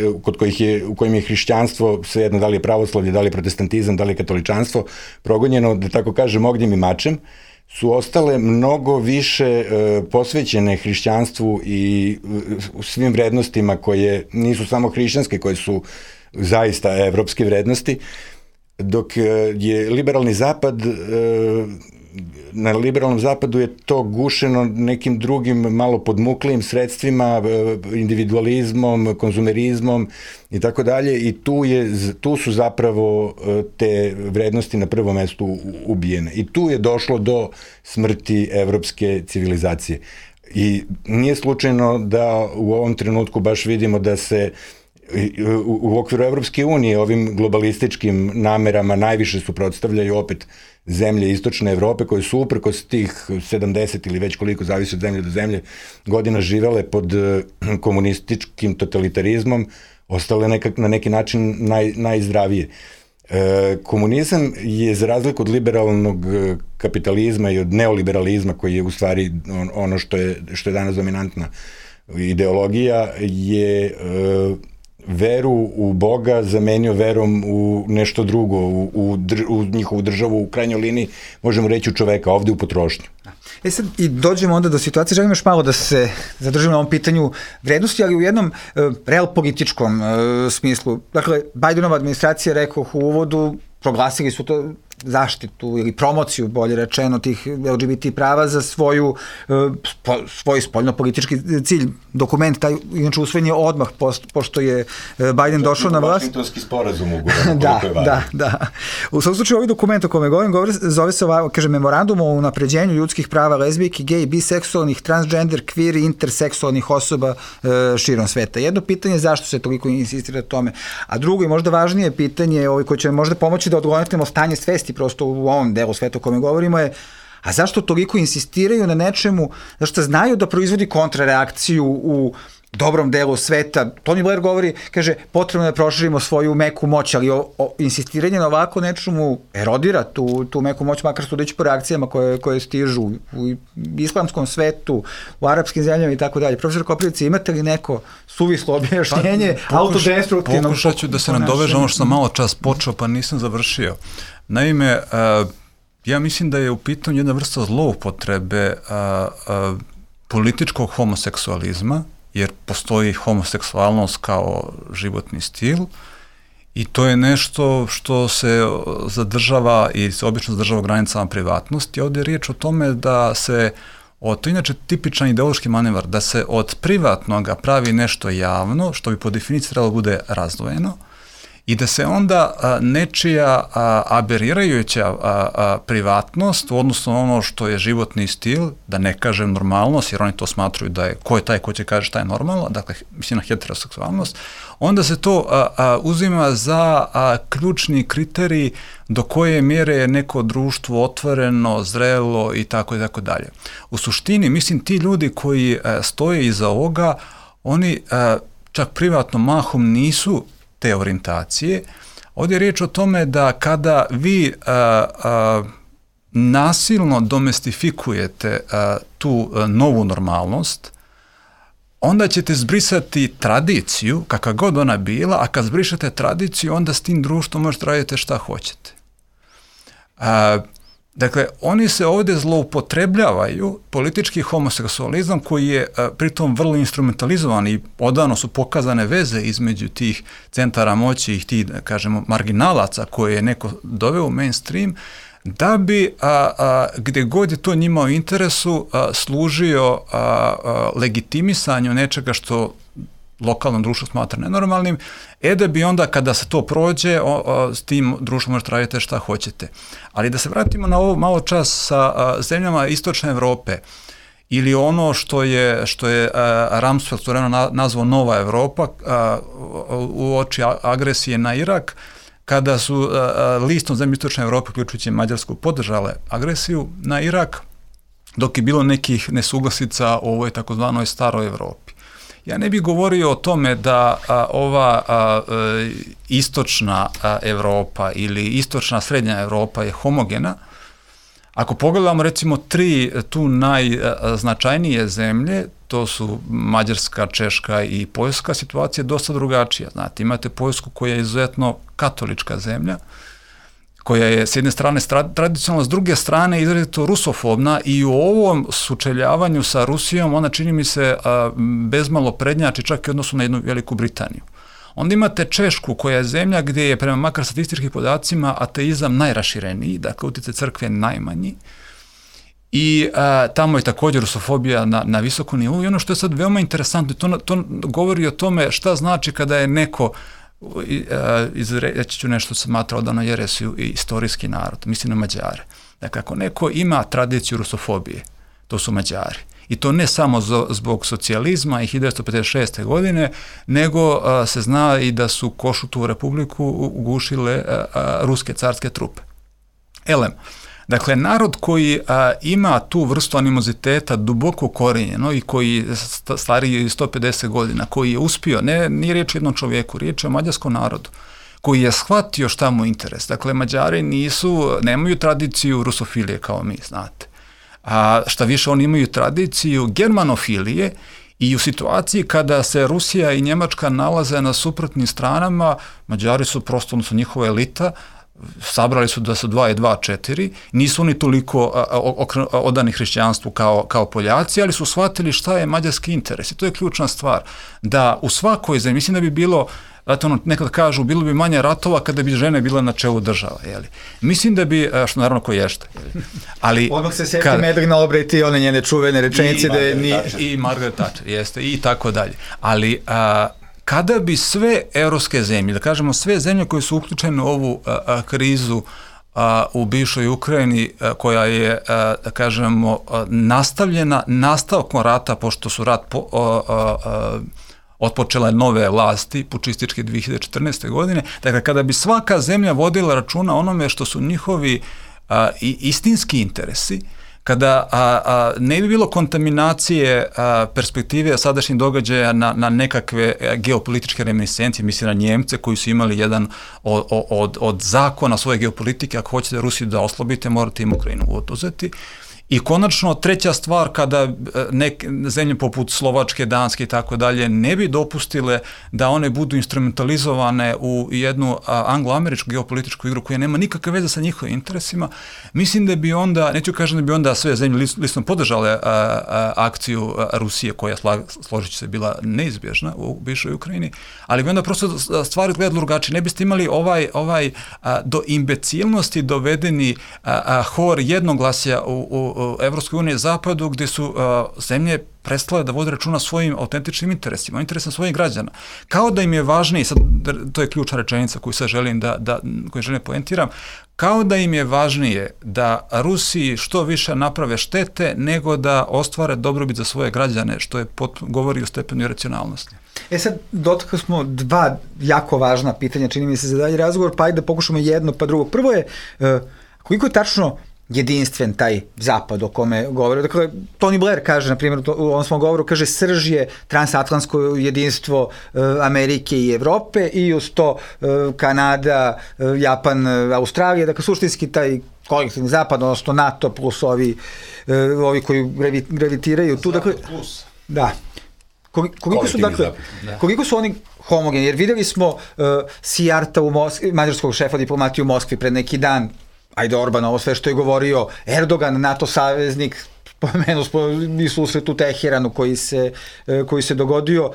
u kojim je hrišćanstvo, svejedno da li je pravoslavlje, da li je protestantizam, da li je katoličanstvo, progonjeno, da tako kažem, ognjem i mačem, su ostale mnogo više posvećene hrišćanstvu i svim vrednostima koje nisu samo hrišćanske, koje su zaista evropske vrednosti, dok je liberalni zapad, na liberalnom zapadu je to gušeno nekim drugim malo podmuklijim sredstvima, individualizmom, konzumerizmom i tako dalje, i tu su zapravo te vrednosti na prvom mestu ubijene. I tu je došlo do smrti evropske civilizacije. I nije slučajno da u ovom trenutku baš vidimo da se u okviru Evropske unije ovim globalističkim namerama najviše suprotstavljaju opet zemlje istočne Evrope koje su uprkos tih 70 ili već koliko, zavisi od zemlje do zemlje, godina živele pod komunističkim totalitarizmom, ostale na neki način najzdravije. Komunizam je, za razliku od liberalnog kapitalizma i od neoliberalizma, koji je u stvari ono što je danas dominantna ideologija, je veru u Boga zamenio verom u nešto drugo, u njihovu državu, u krajnjoj liniji, možemo reći u čoveka, ovde u potrošnju. Sad i dođemo onda do situacije, želim još malo da se zadržimo na ovom pitanju vrednosti, ali u jednom realpolitičkom smislu. Dakle, Bidenova administracija, rekoh u uvodu, proglasili su to zaštitu ili promociju, bolje rečeno, tih LGBT prava za svoj spoljno-politički cilj. Dokument taj, inače, usvojen je odmah pošto je Biden došao na vlast. Vašingtonski sporazum ugovoran. Da. U svakom slučaju, ovaj dokument o kome govorim, zove se ovako, kaže, Memorandum o unapređenju ljudskih prava lezbijki, gej, biseksualnih, transgender, queer i interseksualnih osoba širom sveta. Jedno pitanje je zašto se toliko insistira o tome, a drugo i možda važnije pitanje koje će možda pomoći da odgonetnemo stanje svesti prosto u ovom delu sveta o kome govorimo je, a zašto toliko insistiraju na nečemu, zašto znaju da proizvodi kontrareakciju u dobrom delu sveta. Tony Blair govori, kaže, potrebno je da proširimo svoju meku moć, ali insistiranje na ovako nečemu erodira tu meku moć, makar sudeći po reakcijama koje stižu u islamskom svetu, u arapskim zemljama i tako dalje. Profesor Koprivica, imate li neko suvislo objašnjenje autodestruktivno? Pokušat ću da se nadovežem ono što sam malo čas počeo, pa nisam završio. Naime, ja mislim da je u pitanju jedna vrsta zloupotrebe političkog homoseksualizma, jer postoji homoseksualnost kao životni stil i to je nešto što se zadržava i se obično zadržava u granicama privatnosti. Ovdje je riječ o tome da se, to je inače tipičan ideološki manevar, da se od privatnoga pravi nešto javno, što bi po definiciji trebalo bude razdvojeno, i da se onda nečija aberirajuća privatnost, odnosno ono što je životni stil, da ne kažem normalnost, jer oni to smatruju da je, ko je taj ko će kaže šta je normalno, dakle, mislim na heteroseksualnost, onda se to uzima za ključni kriterij do koje mjere je neko društvo otvoreno, zrelo i tako dalje. U suštini, mislim, ti ljudi koji stoje iza ovoga, oni čak privatno mahom nisu te orijentacije. Ovdje je riječ o tome da kada vi nasilno domestifikujete tu novu normalnost, onda ćete zbrisati tradiciju, kakva god ona bila, a kad zbrišete tradiciju, onda s tim društvom možete raditi šta hoćete. Dakle, oni se ovdje zloupotrebljavaju politički homoseksualizam koji je pritom vrlo instrumentalizovan i odavno su pokazane veze između tih centara moći i tih, da kažemo, marginalaca koje je neko doveo u mainstream, da bi gdje god je to njima u interesu služio legitimisanju nečega što lokalno društvo smatra nenormalnim, da bi onda kada se to prođe, s tim društvom možete raditi šta hoćete. Ali da se vratimo na ovo malo čas sa zemljama Istočne Evrope, ili ono što je Rumsfeld nazvao Nova Evropa, u oči agresije na Irak, kada su listom zemlje Istočne Evrope, uključujući Mađarsku, podržale agresiju na Irak, dok je bilo nekih nesuglasica u ovoj takozvanoj staroj Evropi. Ja ne bih govorio o tome da ova istočna Evropa ili istočna srednja Evropa je homogena. Ako pogledamo recimo tri tu najznačajnije zemlje, to su Mađarska, Češka i Poljska, situacija je dosta drugačija. Znate, imate Poljsku koja je izuzetno katolička zemlja, koja je s jedne strane tradicionalna, s druge strane izrazito rusofobna i u ovom sučeljavanju sa Rusijom ona, čini mi se, bezmalo prednjači čak i odnosu na jednu Veliku Britaniju. Onda imate Češku koja je zemlja gdje je prema makar statističkim podacima ateizam najrašireniji, dakle utjecaj crkve najmanji i tamo je također rusofobija na visokom nivou i ono što je sad veoma interesantno, to govori o tome šta znači kada je neko, reći ću nešto se smatra odavno jeresiju i istorijski narod, mislim na Mađare. Dakle, ako neko ima tradiciju rusofobije, to su Mađari. I to ne samo zbog socijalizma i 1956. godine, nego se zna i da su Košutovu republiku ugušile ruske carske trupe. Dakle, narod koji ima tu vrstu animoziteta duboko ukorijenjeno i koji stariji 150 godina, koji je uspio, nije riječ o jednom čovjeku, riječ je o mađarskom narodu, koji je shvatio šta mu interes. Dakle, Mađari nemaju tradiciju rusofilije kao mi, znate. A šta više, oni imaju tradiciju germanofilije i u situaciji kada se Rusija i Njemačka nalaze na suprotnim stranama, Mađari su prosto, odnosno njihova elita, sabrali su da su 2 i 2 4, nisu oni toliko odani hrišćanstvu kao Poljaci, ali su shvatili šta je mađarski interes i to je ključna stvar, da u svakoj zemlji, mislim da bi bilo, nekad kažu, bilo bi manje ratova kada bi žene bile na čelu država, jeli. Mislim da bi, što naravno ko ješta, jeli. Ali odmah se sjeti Medrina Albright i one njene čuvene rečenice da je i Margaret Thatcher, jeste, i tako dalje. Ali kada bi sve evropske zemlje, da kažemo sve zemlje koje su uključene u ovu krizu u bivšoj Ukrajini, koja je, da kažemo, nastavljena nastavkom rata, pošto su rat otpočele nove vlasti, pučističke 2014. godine, dakle, kada bi svaka zemlja vodila računa onome što su njihovi istinski interesi, kada ne bi bilo kontaminacije perspektive sadašnjih događaja na nekakve geopolitičke reminiscencije, mislim na Njemce koji su imali jedan od zakona svoje geopolitike, ako hoćete Rusiju da oslobite, morate im Ukrajinu oduzeti. I konačno, treća stvar, kada neke zemlje poput Slovačke, Danske i tako dalje ne bi dopustile da one budu instrumentalizovane u jednu anglo-američku geopolitičku igru koja nema nikakve veze sa njihovim interesima, mislim da bi onda, neću kažem da bi onda sve zemlje listom podržale akciju Rusije, koja, složit ću se, bila neizbježna u bivšoj Ukrajini, ali bi onda prosto stvari izgledali drugačije. Ne biste imali ovaj do imbecilnosti dovedeni hor jednoglasja u Evropskoj uniji zapadu, gde su zemlje prestale da vode računa svojim autentičnim interesima, interesima svojih građana. Kao da im je važnije, sad to je ključna rečenica koju sad želim koju želim poentiram, kao da im je važnije da Rusiji što više naprave štete nego da ostvare dobrobit za svoje građane, što je govori o stepenu iracionalnosti. Sad, dotakli smo 2 jako važna pitanja, čini mi se za dalje razgovor, pa ajde da pokušamo jedno pa drugo. Prvo je, koliko je tačno jedinstven taj zapad o kome govore. Dakle, Tony Blair kaže, na primjer, u ovom svom govoru, kaže, srž je transatlantsko jedinstvo Amerike i Evrope i uz to Kanada, Japan, Australija, dakle, suštinski taj kolektivni zapad, odnosno NATO plus ovi koji gravitiraju tu. Dakle, plus. Da. Koliko su oni homogeni, jer videli smo Sijarta mađarskog šefa diplomatije u Moskvi pred neki dan, ajde Orban, ovo sve što je govorio Erdogan, NATO saveznik, spomenuo smo i susret u Teheranu koji se dogodio.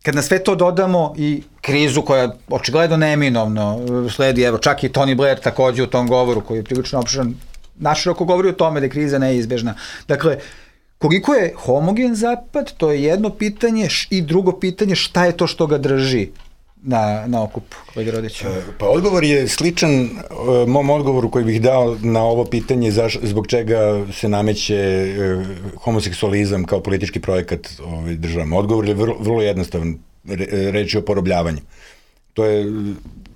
Kad na sve to dodamo i krizu koja očigledno neminovno sledi, evo čak i Tony Blair takođe u tom govoru koji je prilično opširan, naširoko govori o tome da je kriza neizbežna. Dakle, koliko je homogen zapad, to je jedno pitanje, i drugo pitanje, šta je to što ga drži na okupu, kolega Rodić? Pa odgovor je sličan mom odgovoru koji bih dao na ovo pitanje zbog čega se nameće homoseksualizam kao politički projekat državama. Odgovor je vrlo jednostavan, reč je o porobljavanju. To je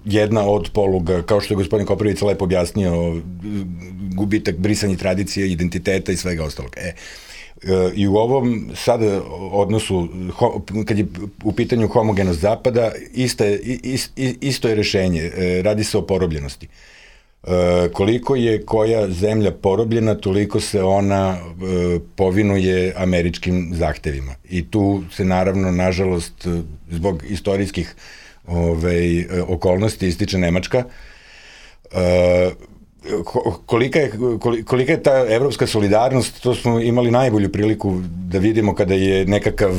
jedna od poluga, kao što je gospodin Koprivica lepo objasnio, gubitak, brisanje tradicije, identiteta i svega ostalog. I u ovom sad odnosu, kad je u pitanju homogenost zapada, isto je rešenje, radi se o porobljenosti. Koliko je koja zemlja porobljena, toliko se ona povinuje američkim zahtevima. I tu se naravno, nažalost, zbog istorijskih okolnosti ističe Nemačka. Kolika je ta evropska solidarnost, to smo imali najbolju priliku da vidimo kada je nekakav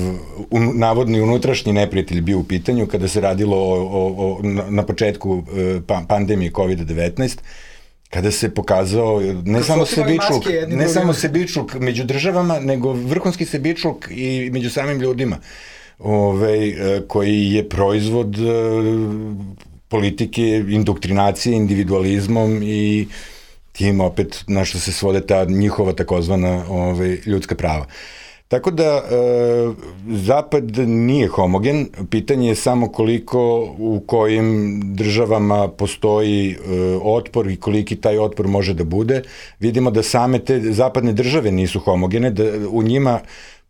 navodni unutrašnji neprijatelj bio u pitanju, kada se radilo na početku pandemije COVID-19, kada se pokazao ne samo sebičluk među državama, nego vrhunski sebičluk i među samim ljudima, koji je proizvod politike, indoktrinacije, individualizmom i tim opet na što se svode ta njihova takozvana ljudska prava. Tako da Zapad nije homogen, pitanje je samo koliko u kojim državama postoji otpor i koliki taj otpor može da bude. Vidimo da same te zapadne države nisu homogene, da u njima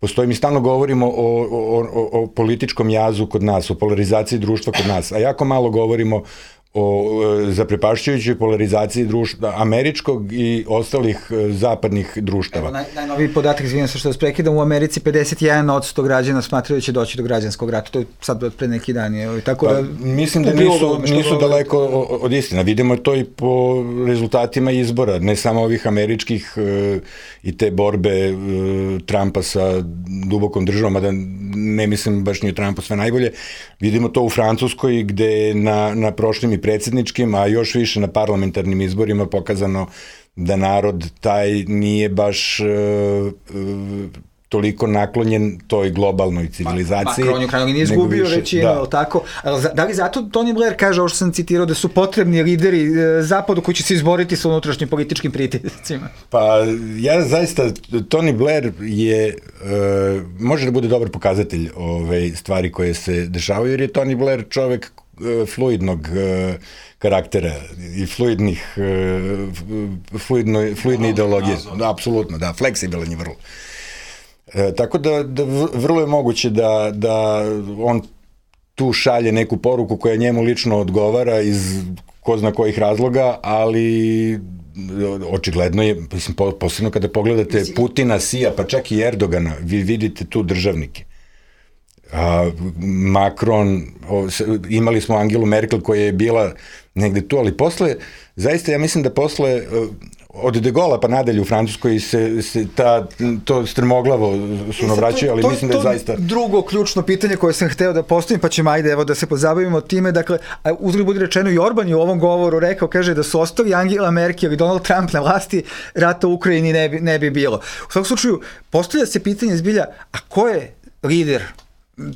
postoji, mi stalno govorimo o političkom jazu kod nas, o polarizaciji društva kod nas, a jako malo govorimo o zaprepašćujućoj polarizaciji društva, američkog i ostalih zapadnih društava. Evo, najnoviji podatak, izvijem se što vas prekidam, u Americi 51% građana smatraju da će doći do građanskog rata, to je sad od pre neki dan. Tako da, mislim da nisu daleko od istina. Vidimo to i po rezultatima izbora, ne samo ovih američkih i te borbe Trumpa sa dubokom državom, mada ne mislim baš ni o Trumpu sve najbolje. Vidimo to u Francuskoj gde na prošlim i predsjedničkim, a još više na parlamentarnim izborima pokazano da narod taj nije baš toliko naklonjen toj globalnoj civilizaciji. Macron je krajno nije izgubio većinu, tako? Da li zato Tony Blair kaže, ovo što sam citirao, da su potrebni lideri Zapadu koji će se izboriti sa unutrašnjim političkim pritiscima? Pa ja zaista, Tony Blair je, može da bude dobar pokazatelj stvari koje se dešavaju, jer je Tony Blair čovek fluidnog karaktera i fluidne ideologije. Da, apsolutno, da, fleksibilan je vrlo. Tako da vrlo je moguće da on tu šalje neku poruku koja njemu lično odgovara iz ko zna kojih razloga, ali očigledno je, mislim, posebno kada pogledate Putina, Sija, pa čak i Erdogana, vi vidite tu državnike. Macron, imali smo Angelu Merkel koja je bila negde tu, ali posle, zaista ja mislim da posle od De Gaulle pa nadalje u Francuskoj se to strmoglavo sunovraćaju, ali mislim da je zaista... To je drugo ključno pitanje koje sam hteo da postavim, pa ćemo ajde evo da se pozabavimo time. Dakle, uzgled budi rečeno, i Orban je u ovom govoru rekao, kaže da su ostali Angela Merkel i Donald Trump na vlasti, rata u Ukrajini ne bi bilo. U svakom slučaju, postavlja se pitanje zbilja, a ko je lider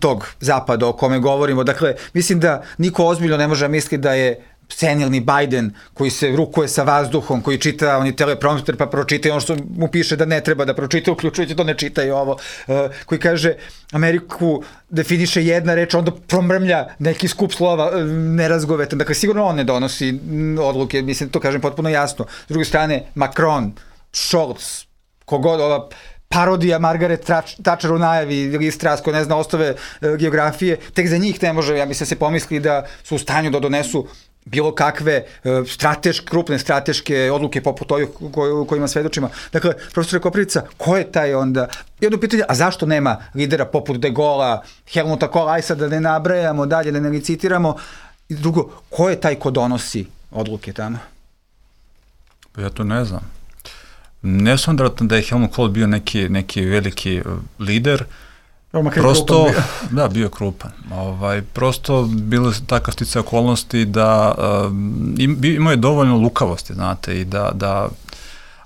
tog zapada o kome govorimo? Dakle, mislim da niko ozbiljno ne može misliti da je senilni Biden koji se rukuje sa vazduhom, koji čita oni teleprompter pa pročita ono što mu piše da ne treba da pročita, uključujući to ne čita i ovo, koji kaže Ameriku definiše jedna reč, onda promrmlja neki skup slova nerazgovetan. Dakle, sigurno on ne donosi odluke, mislim, to kažem potpuno jasno. S druge strane, Macron, Scholz, kogod, ova parodija Margaret Thatcher u najavi ili Strasko, ne zna, ostave geografije, tek za njih ne može, ja mislim, se pomisli da su u stanju da donesu bilo kakve krupne strateške odluke poput ovih kojima svedočimo. Dakle, profesore Koprivica, ko je taj onda? Jedno pitanje, a zašto nema lidera poput De Gaulla, Helmuta Kohla, aj sad da ne nabrajamo dalje, da ne licitiramo? I drugo, ko je taj ko donosi odluke tamo? Ja to ne znam. Ne sam da je Helmut Kohl bio neki veliki lider, prosto, da, bio je krupan. Prosto bilo je takav sticaj okolnosti da imao je dovoljno lukavosti, znate, i da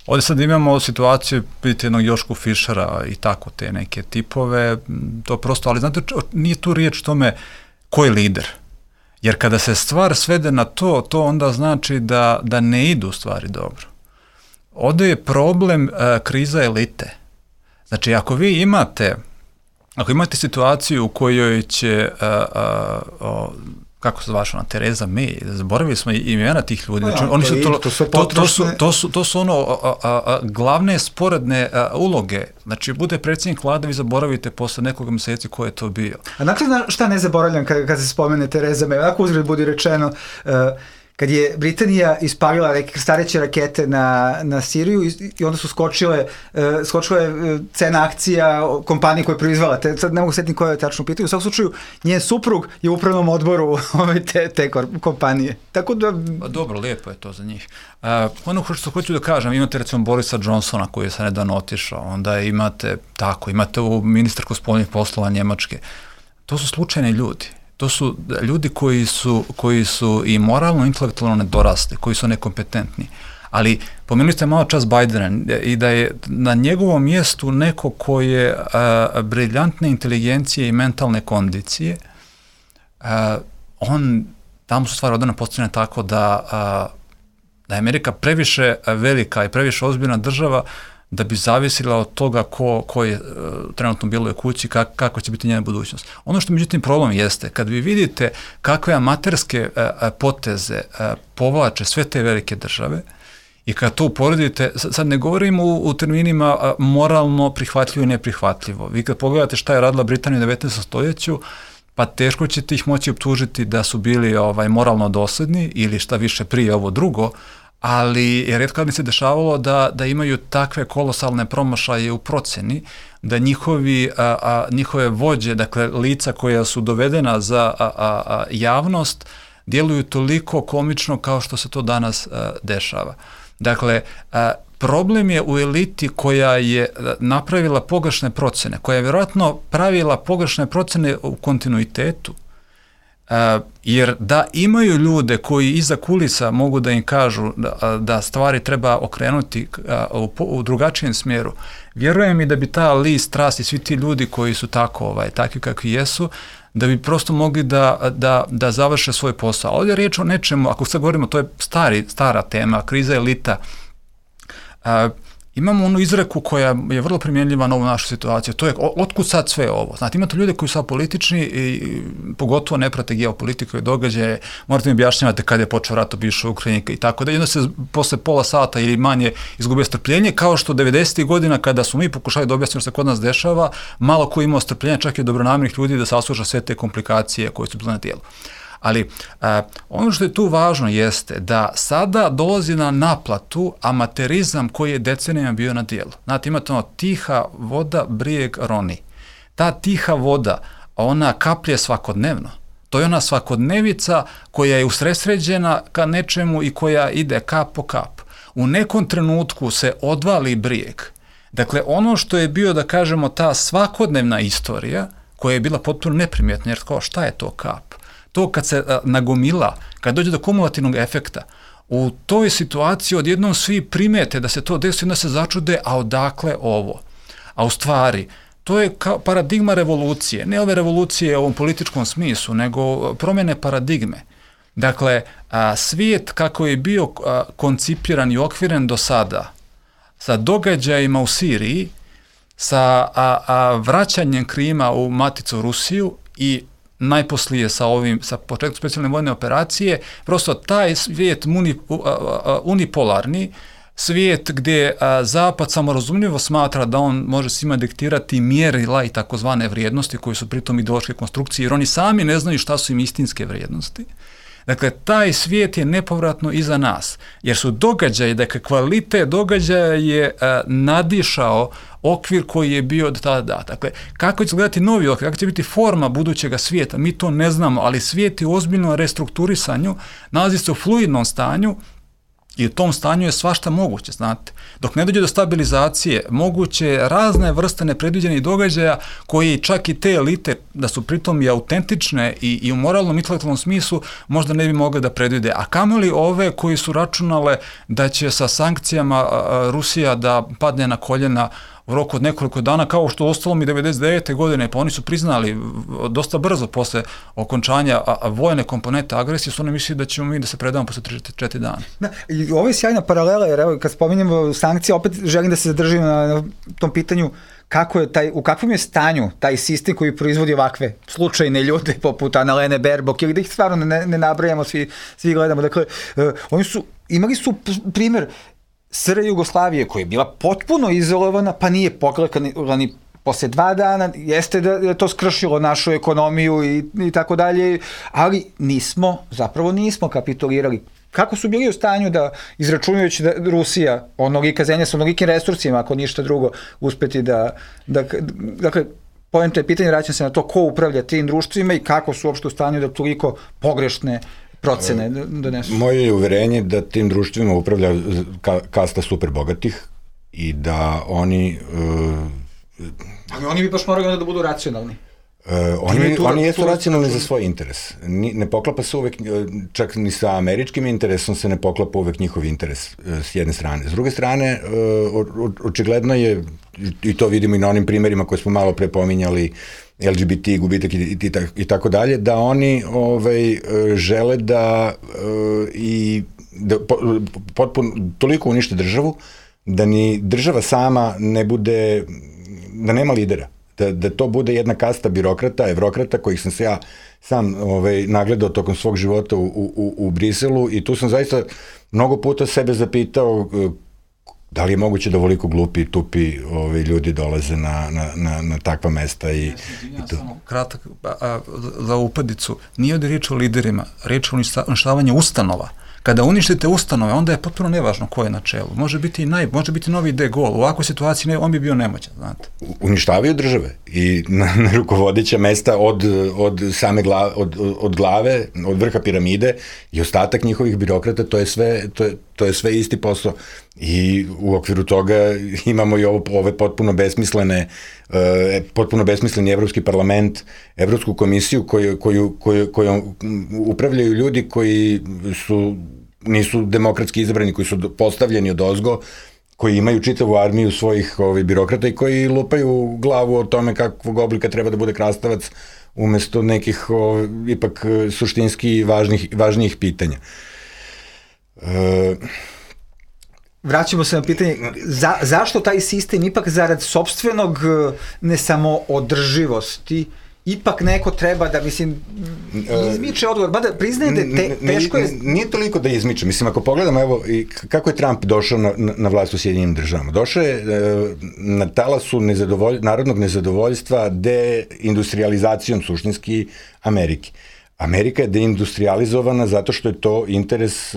ovdje sad imamo situaciju, vidite jednog Jošku Fischera i tako te neke tipove, to prosto, ali znate, nije tu riječ tome ko je lider. Jer kada se stvar svede na to onda znači da ne idu stvari dobro. Ovdje je problem kriza elite. Znači, ako vi imate situaciju u kojoj će, kako se zvaš ona, Tereza May, zaboravili smo imena tih ljudi, znači, oni to su ono glavne sporedne uloge, znači bude predsjednik vlade, vi zaboravite posle nekoga mjeseci ko je to bio. A dakle, šta ne zaboravljam kad se spomene Tereza May, ako uzgled budi rečeno, kad je Britanija ispalila stareće rakete na Siriju i onda su skočile cena akcija kompanije koja je proizvala, sad ne mogu setiti koja je tačno pitanje, u svakom slučaju njen suprug je u upravnom odboru te kompanije. Tako da... Dobro, lijepo je to za njih. Ono što hoću da kažem, imate recimo Borisa Johnsona koji je sad nedavno otišao, onda imate u ministarku spoljnih poslova Njemačke. To su slučajni ljudi. To su ljudi koji su i moralno i intelektualno nedorasli, koji su nekompetentni. Ali pomenuli ste malo čas Bidena i da je na njegovom mjestu neko ko je briljantne inteligencije i mentalne kondicije, tamo su stvari odane postavljene tako da je Amerika previše velika i previše ozbiljna država da bi zavisila od toga ko je trenutno bilo u kući, kako će biti njena budućnost. Ono što međutim problem jeste, kad vi vidite kakve amaterske poteze povlače sve te velike države i kad to uporedite, sad ne govorimo u terminima moralno prihvatljivo i neprihvatljivo. Vi kad pogledate šta je radila Britanija u 19. stoljeću, pa teško ćete ih moći optužiti da su bili moralno dosledni ili šta više prije ovo drugo, ali rijetko kad mi se dešavalo da imaju takve kolosalne promašaje u proceni, da njihove vođe, dakle lica koja su dovedena za javnost, djeluju toliko komično kao što se to danas dešava. Dakle, problem je u eliti koja je napravila pogrešne procene, koja je vjerojatno pravila pogrešne procene u kontinuitetu, jer da imaju ljude koji iza kulisa mogu da im kažu da stvari treba okrenuti u drugačijem smjeru, vjerujem i da bi ta list Trust i svi ti ljudi koji su takvi kakvi jesu, da bi prosto mogli da završe svoj posao. Ovdje je riječ o nečemu, ako sad govorimo, to je stara tema, kriza elita. Imamo onu izreku koja je vrlo primjenljiva na ovu našu situaciju, to je otkud sad sve ovo. Znate, imate ljude koji su apolitični i pogotovo ne prate geopolitiku i događaje, morate mi objašnjavati kada je počeo rat u bivšoj Ukrajini i tako da. I onda se posle pola sata ili manje izgubio strpljenje, kao što 90. godina kada smo mi pokušali da objasnimo što se kod nas dešava, malo ko imao strpljenja, čak i dobronamernih ljudi da sasluša sve te komplikacije koje su bile na dijelu. Ali ono što je tu važno jeste da sada dolazi na naplatu amaterizam koji je decenijama bio na dijelu. Znate, imate tiha voda brijeg roni. Ta tiha voda, ona kaplje svakodnevno. To je ona svakodnevica koja je usresređena ka nečemu i koja ide kap po kap. U nekom trenutku se odvali brijeg. Dakle, ono što je bio, da kažemo, ta svakodnevna istorija, koja je bila potpuno neprimjetna, jer šta je to kap? To kad se nagomila, kad dođe do kumulativnog efekta, u toj situaciji odjednom svi primete da se to desi, onda se začude, a odakle ovo? A u stvari, to je paradigma revolucije, ne ove revolucije u ovom političkom smislu, nego promjene paradigme. Dakle, svijet kako je bio koncipiran i okviren do sada, sa događajima u Siriji, sa vraćanjem Krima u maticu Rusiju i najposlije sa početkom specijalne vojne operacije, prosto taj svijet unipolarni, svijet gdje Zapad samorazumljivo smatra da on može svima diktirati mjerila i takozvane vrijednosti koje su pritom ideološke konstrukcije, jer oni sami ne znaju šta su im istinske vrijednosti. Dakle, taj svijet je nepovratno iza nas, jer su događaji, dakle, kvalitet događaja je nadišao okvir koji je bio do tada. Dakle, kako će gledati novi okvir, kako će biti forma budućega svijeta, mi to ne znamo, ali svijet je u ozbiljnom restrukturisanju, nalazi se u fluidnom stanju i u tom stanju je svašta moguće, znate. Dok ne dođe do stabilizacije, moguće je razne vrste nepredviđenih događaja koji čak i te elite, da su pritom i autentične i u moralnom intelektualnom smislu, možda ne bi mogli da predvide. A kamoli ove koji su računale da će sa sankcijama Rusija da padne na koljena u roku od nekoliko dana, kao što ostalo mi 99. godine, pa oni su priznali dosta brzo posle okončanja vojne komponente agresije, su oni mislili da ćemo mi da se predamo posle 4 dana. Da, i ovo je sjajna paralela, jer evo, kad spominjemo sankcije, opet želim da se zadržim na tom pitanju u kakvom je stanju taj sistem koji proizvodi ovakve slučajne ljude poput Annalene Baerbock, ili da ih stvarno ne nabrajamo, svi gledamo. Dakle, imali su primjer SR Jugoslavije koja je bila potpuno izolovana, pa nije poklekla ni posle 2 dana, jeste da je to skršilo našu ekonomiju i tako dalje, ali zapravo nismo kapitulirali. Kako su bili u stanju da, izračunajući da Rusija, onolika zemlja sa onolikim resursima, ako ništa drugo, uspeti dakle, poenta je pitanje, vraćam se na to ko upravlja tim društvima i kako su uopšte u stanju da toliko pogrešne procene donesu. Moje je uverenje da tim društvima upravlja kasta super bogatih i da oni... Ali oni bi baš morali onda da budu racionalni. Oni jesu racionalni za svoj interes. Ne poklapa se uvek, čak ni sa američkim interesom se ne poklapa uvek njihov interes s jedne strane. S druge strane, očigledno je, i to vidimo i na onim primerima koje smo malo pre pominjali, LGBT, gubitak i tako dalje, da oni žele da potpuno toliko unište državu, da ni država sama ne bude, da nema lidera. Da to bude jedna kasta birokrata, evrokrata, kojih sam se ja sam nagledao tokom svog života u Briselu, i tu sam zaista mnogo puta sebe zapitao Da li je moguće da ovoliko glupi i tupi ljudi dolaze na takva mesta i to? Samo kratak za upadicu. Nije ovdje riječ o liderima, riječ o uništavanju ustanova. Kada uništite ustanove, onda je potpuno nevažno ko je na čelu. Može biti novi De Gaulle. U ovakvoj situaciji on bi bio nemoćan, znate. Uništavaju države i na rukovodeća mesta od same glave, od glave, od vrha piramide i ostatak njihovih birokrata, to je sve isti posao. I u okviru toga imamo i ove potpuno besmisleni Evropski parlament, Evropsku komisiju kojom upravljaju ljudi koji nisu demokratski izabrani, koji su postavljeni odozgo, koji imaju čitavu armiju svojih birokrata i koji lupaju glavu o tome kakvog oblika treba da bude krastavac umesto nekih ipak suštinski važnijih pitanja. Vraćamo se na pitanje, zašto taj sistem ipak zarad sopstvenog ne samo održivosti, ipak neko treba da, izmiče odgovor, mada priznaje da teško je... Nije toliko da izmiče, ako pogledamo, evo, kako je Trump došao na vlast u Sjedinjenim državama. Došao je na talasu narodnog nezadovoljstva deindustrializacijom suštinski Amerike. Amerika je deindustrializovana zato što je to interes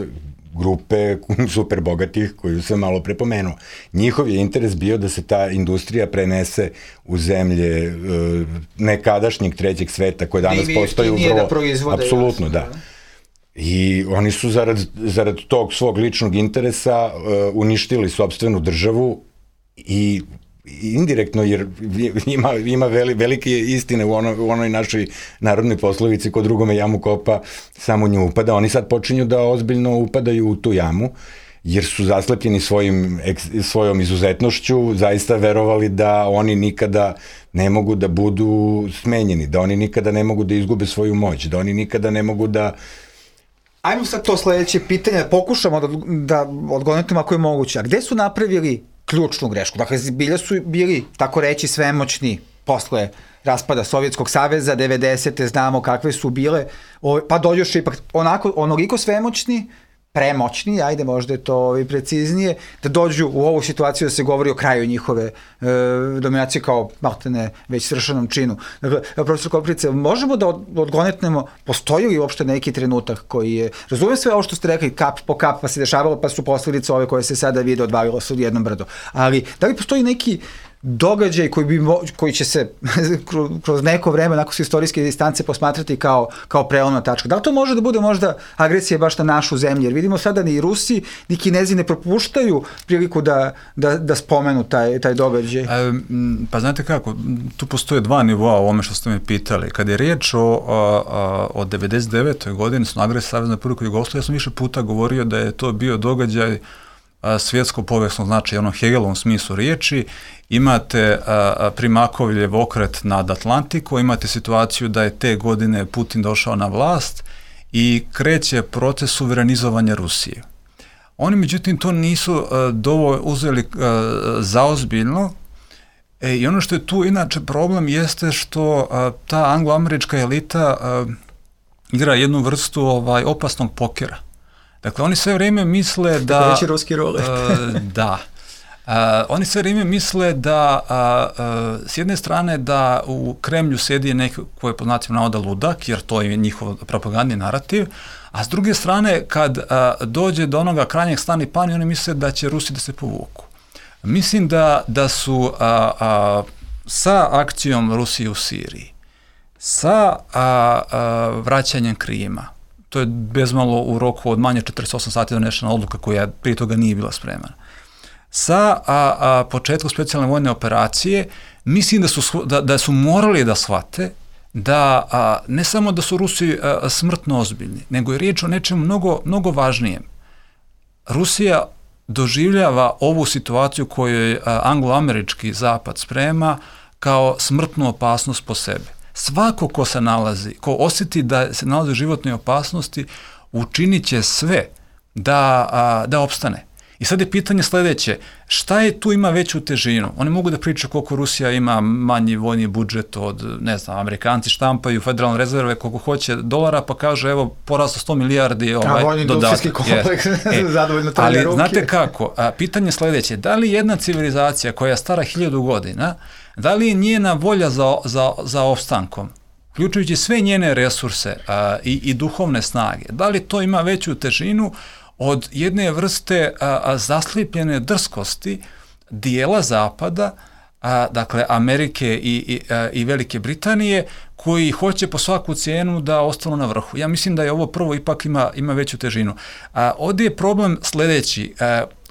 grupe super bogatih koju sam malo prepomenuo. Njihov je interes bio da se ta industrija prenese u zemlje nekadašnjeg trećeg sveta koje danas postaju vrlo... Apsolutno, da. I oni su zarad tog svog ličnog interesa uništili sopstvenu državu i indirektno, jer ima velike istine u onoj našoj narodnoj poslovici, ko drugome jamu kopa, samo nju upada. Oni sad počinju da ozbiljno upadaju u tu jamu, jer su zaslepljeni svojom izuzetnošću, zaista verovali da oni nikada ne mogu da budu smenjeni, da oni nikada ne mogu da izgube svoju moć, da oni nikada ne mogu da... Ajmo sad to sledeće pitanje, pokušamo da odgonetimo ako je moguće. A gde su napravili ključnu grešku? Dakle, bilja su bili, tako reći, svemoćni posle raspada Sovjetskog saveza, 90. znamo kakve su bile, pa dođoše ipak onoliko svemoćni, premoćni, ajde možda je to preciznije, da dođu u ovu situaciju da se govori o kraju njihove dominacije kao maltene već svršenom činu. Dakle, profesor Koprivica, možemo da odgonetnemo, postoji li uopšte neki trenutak koji je, razumijem sve ovo što ste rekli, kap po kap pa se dešavalo, pa su posledice ove koje se sada vide odvalilo se od jednom brdo, ali da li postoji neki događaj koji će se kroz neko vreme, nakon s istorijske distance, posmatrati kao prelomna tačka? Da li to može da bude možda agresija baš na našu zemlju? Jer vidimo sada ni Rusi, ni Kinezi ne propuštaju priliku da spomenu taj događaj. Pa znate kako, tu postoje dva nivoa o ovome što ste me pitali. Kad je riječ o 99. godini su agresija Savezne Republike Jugoslavije, ja sam više puta govorio da je to bio događaj svjetsko povijesno značaja, ono Hegelovom smislu riječi. Imate Primakovljev okret nad Atlantiku, imate situaciju da je te godine Putin došao na vlast i kreće proces suverenizovanja Rusije. Oni međutim to nisu dovoljno uzeli zaozbiljno i ono što je tu inače problem jeste što ta anglo-američka elita igra jednu vrstu opasnog pokera. Dakle, oni sve vrijeme misle da... Reći ruski rulet. Da. Oni sve vrijeme misle da s jedne strane da u Kremlju sjedi neko koji je po znacima navoda ludak, jer to je njihov propagandni narativ, a s druge strane kad dođe do onoga krajnjeg stani pani, oni misle da će Rusi da se povuku. Mislim da su sa akcijom Rusije u Siriji, sa vraćanjem Krima, to je bezmalo u roku od manje 48 sati donešena odluka koja prije toga nije bila spremana. Sa početkom specijalne vojne operacije, mislim da su morali da shvate da ne samo da su Rusi smrtno ozbiljni, nego je riječ o nečemu mnogo važnijem. Rusija doživljava ovu situaciju koju anglo-američki zapad sprema kao smrtnu opasnost po sebe. Svako ko se nalazi, ko osjeti da se nalazi u životnoj opasnosti, učinit će sve da opstane. I sad je pitanje sledeće, šta je tu ima veću težinu? Oni mogu da pričaju koliko Rusija ima manji vojni budžet od, ne znam, Amerikanci štampaju federalne rezerve koliko hoće dolara, pa kažu evo poraslo 100 milijardi vojni industrijski kompleks, zadovoljno trlja ruke. Znate kako, pitanje je sledeće, da li jedna civilizacija koja je stara 1000 godina, da li je njena volja za opstankom, uključujući sve njene resurse i duhovne snage, da li to ima veću težinu od jedne vrste zaslipljene drskosti dijela Zapada, dakle Amerike i Velike Britanije, koji hoće po svaku cijenu da ostanu na vrhu. Ja mislim da je ovo prvo ipak ima veću težinu. Ovdje je problem sledeći,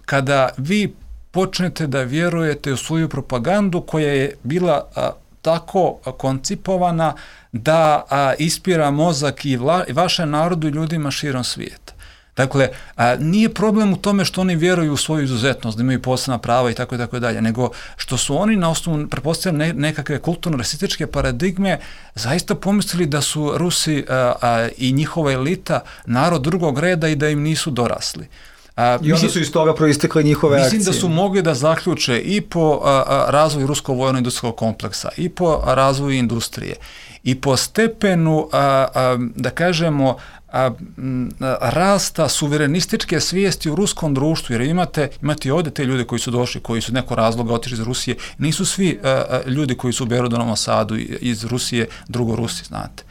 kada vi počnete da vjerujete u svoju propagandu koja je bila tako koncipovana da ispira mozak i vašem narodu i ljudima širom svijeta. Dakle, nije problem u tome što oni vjeruju u svoju izuzetnost, da imaju posebna prava i tako dalje, nego što su oni na osnovu, pretpostavljam, nekakve kulturno-rasističke paradigme zaista pomislili da su Rusi i njihova elita narod drugog reda i da im nisu dorasli. I onda su iz toga proistekle njihove akcije. Mislim da su mogli da zaključe i po razvoju ruskog vojno-industrijskog kompleksa, i po razvoju industrije, i po stepenu, da kažemo, rasta suverenističke svijesti u ruskom društvu, jer imate ovdje te ljude koji su došli, koji su neko razloga otišli iz Rusije, nisu svi ljudi koji su u Berodovom Sadu iz Rusije, drugorusi, znate.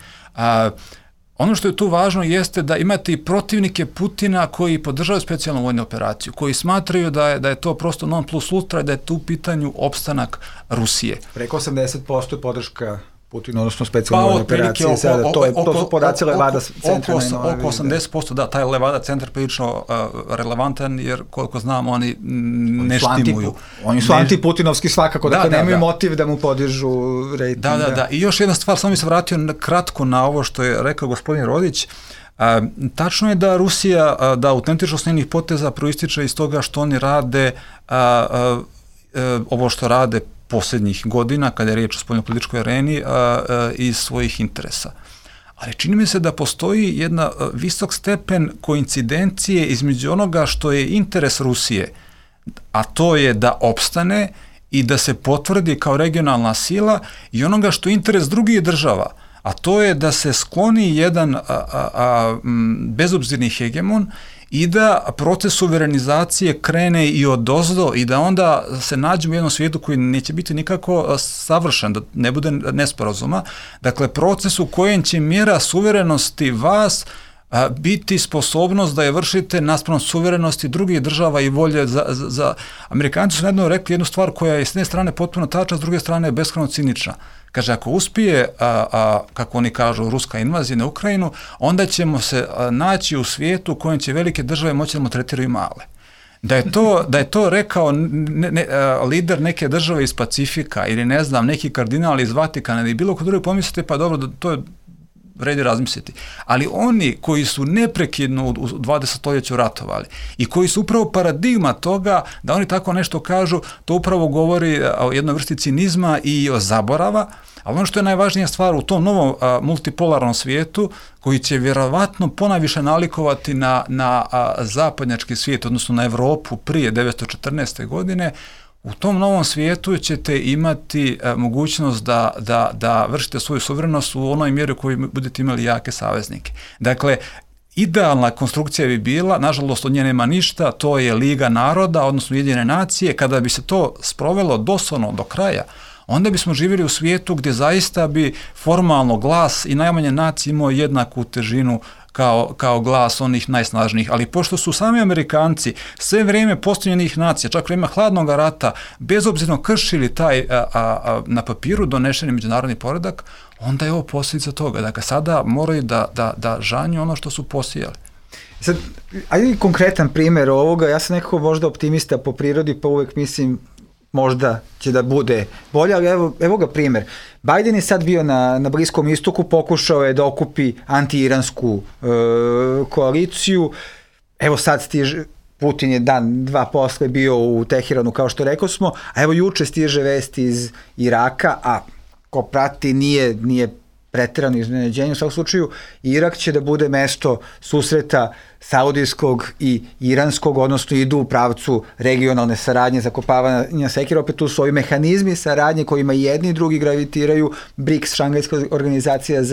Ono što je tu važno jeste da imate i protivnike Putina koji podržavaju specijalnu vojnu operaciju, koji smatraju da je to prosto non plus ultra, da je tu u pitanju opstanak Rusije. Preko 80% je podrška Putin, odnosno specijalne vojne operacije. To su podaci Levada centra. Oko 80%, da, taj Levada centar prilično relevantan, jer koliko znam, oni ne štimuju. Oni su antiputinovski svakako, dakle nemaju motiv da mu podižu rejting. Da. I još jedna stvar, samo mi se vratio kratko na ovo što je rekao gospodin Rodić. Tačno je da Rusija, da autentičnost njenih poteza proističe iz toga što oni rade ovo što rade posljednjih godina, kada je riječ o spoljnopolitičkoj areni, iz svojih interesa. Ali čini mi se da postoji jedna visok stepen koincidencije između onoga što je interes Rusije, a to je da opstane i da se potvrdi kao regionalna sila, i onoga što je interes drugih država, a to je da se skloni jedan bezobzirni hegemon i da proces suverenizacije krene i odozdo i da onda se nađemo u jednom svijetu koji neće biti nikako savršen, da ne bude nesporazuma. Dakle, proces u kojem će mjera suverenosti vas biti sposobnost da je vršite naspram suverenosti drugih država i volje za... Amerikanci su jedno rekli jednu stvar koja je s jedne strane potpuno tačna, s druge strane beskrajno cinična. Kaže, ako uspije, kako oni kažu, ruska invazija na Ukrajinu, onda ćemo se naći u svijetu u kojem će velike države moći da mu tretiraju male. Da je to rekao lider neke države iz Pacifika ili ne znam, neki kardinal iz Vatikana ili bilo ko drugi, pomislite, pa dobro, to je vredi razmisliti. Ali oni koji su neprekidno u 20. stoljeću ratovali i koji su upravo paradigma toga da oni tako nešto kažu, to upravo govori o jednoj vrsti cinizma i o zaborava, ali ono što je najvažnija stvar u tom novom multipolarnom svijetu, koji će vjerovatno ponajviše nalikovati na zapadnjački svijet, odnosno na Evropu prije 1914. godine, u tom novom svijetu ćete imati mogućnost da vršite svoju suverenost u onoj mjeri u kojoj budete imali jake saveznike. Dakle, idealna konstrukcija bi bila, nažalost od nje nema ništa, to je Liga naroda, odnosno Ujedinjene nacije. Kada bi se to sprovelo doslovno do kraja, onda bismo živjeli u svijetu gdje zaista bi formalno glas i najmanje nacije imao jednaku težinu kao glas onih najsnažnijih. Ali pošto su sami Amerikanci sve vrijeme postavljenih nacija, čak vrijeme hladnog rata, bezobzirno kršili taj na papiru donešeni međunarodni poredak, onda je ovo posljedica toga. Dakle, sada moraju da žanju ono što su posijali. Sad, ajde konkretan primjer ovoga, ja sam nekako možda optimista po prirodi, pa uvek mislim možda će da bude bolje, ali evo ga primjer. Biden je sad bio na Bliskom istoku, pokušao je da okupi anti-iransku koaliciju. Evo sad stiže, Putin je dan, dva posle bio u Teheranu, kao što rekao smo, a evo juče stiže vest iz Iraka, a ko prati nije preterano iznenađenje. U svakom slučaju, Irak će da bude mesto susreta saudijskog i iranskog, odnosno idu u pravcu regionalne saradnje, zakopavanja sekira. Opet tu su ovi mehanizmi saradnje kojima jedni i drugi gravitiraju, BRICS, Šangajska organizacija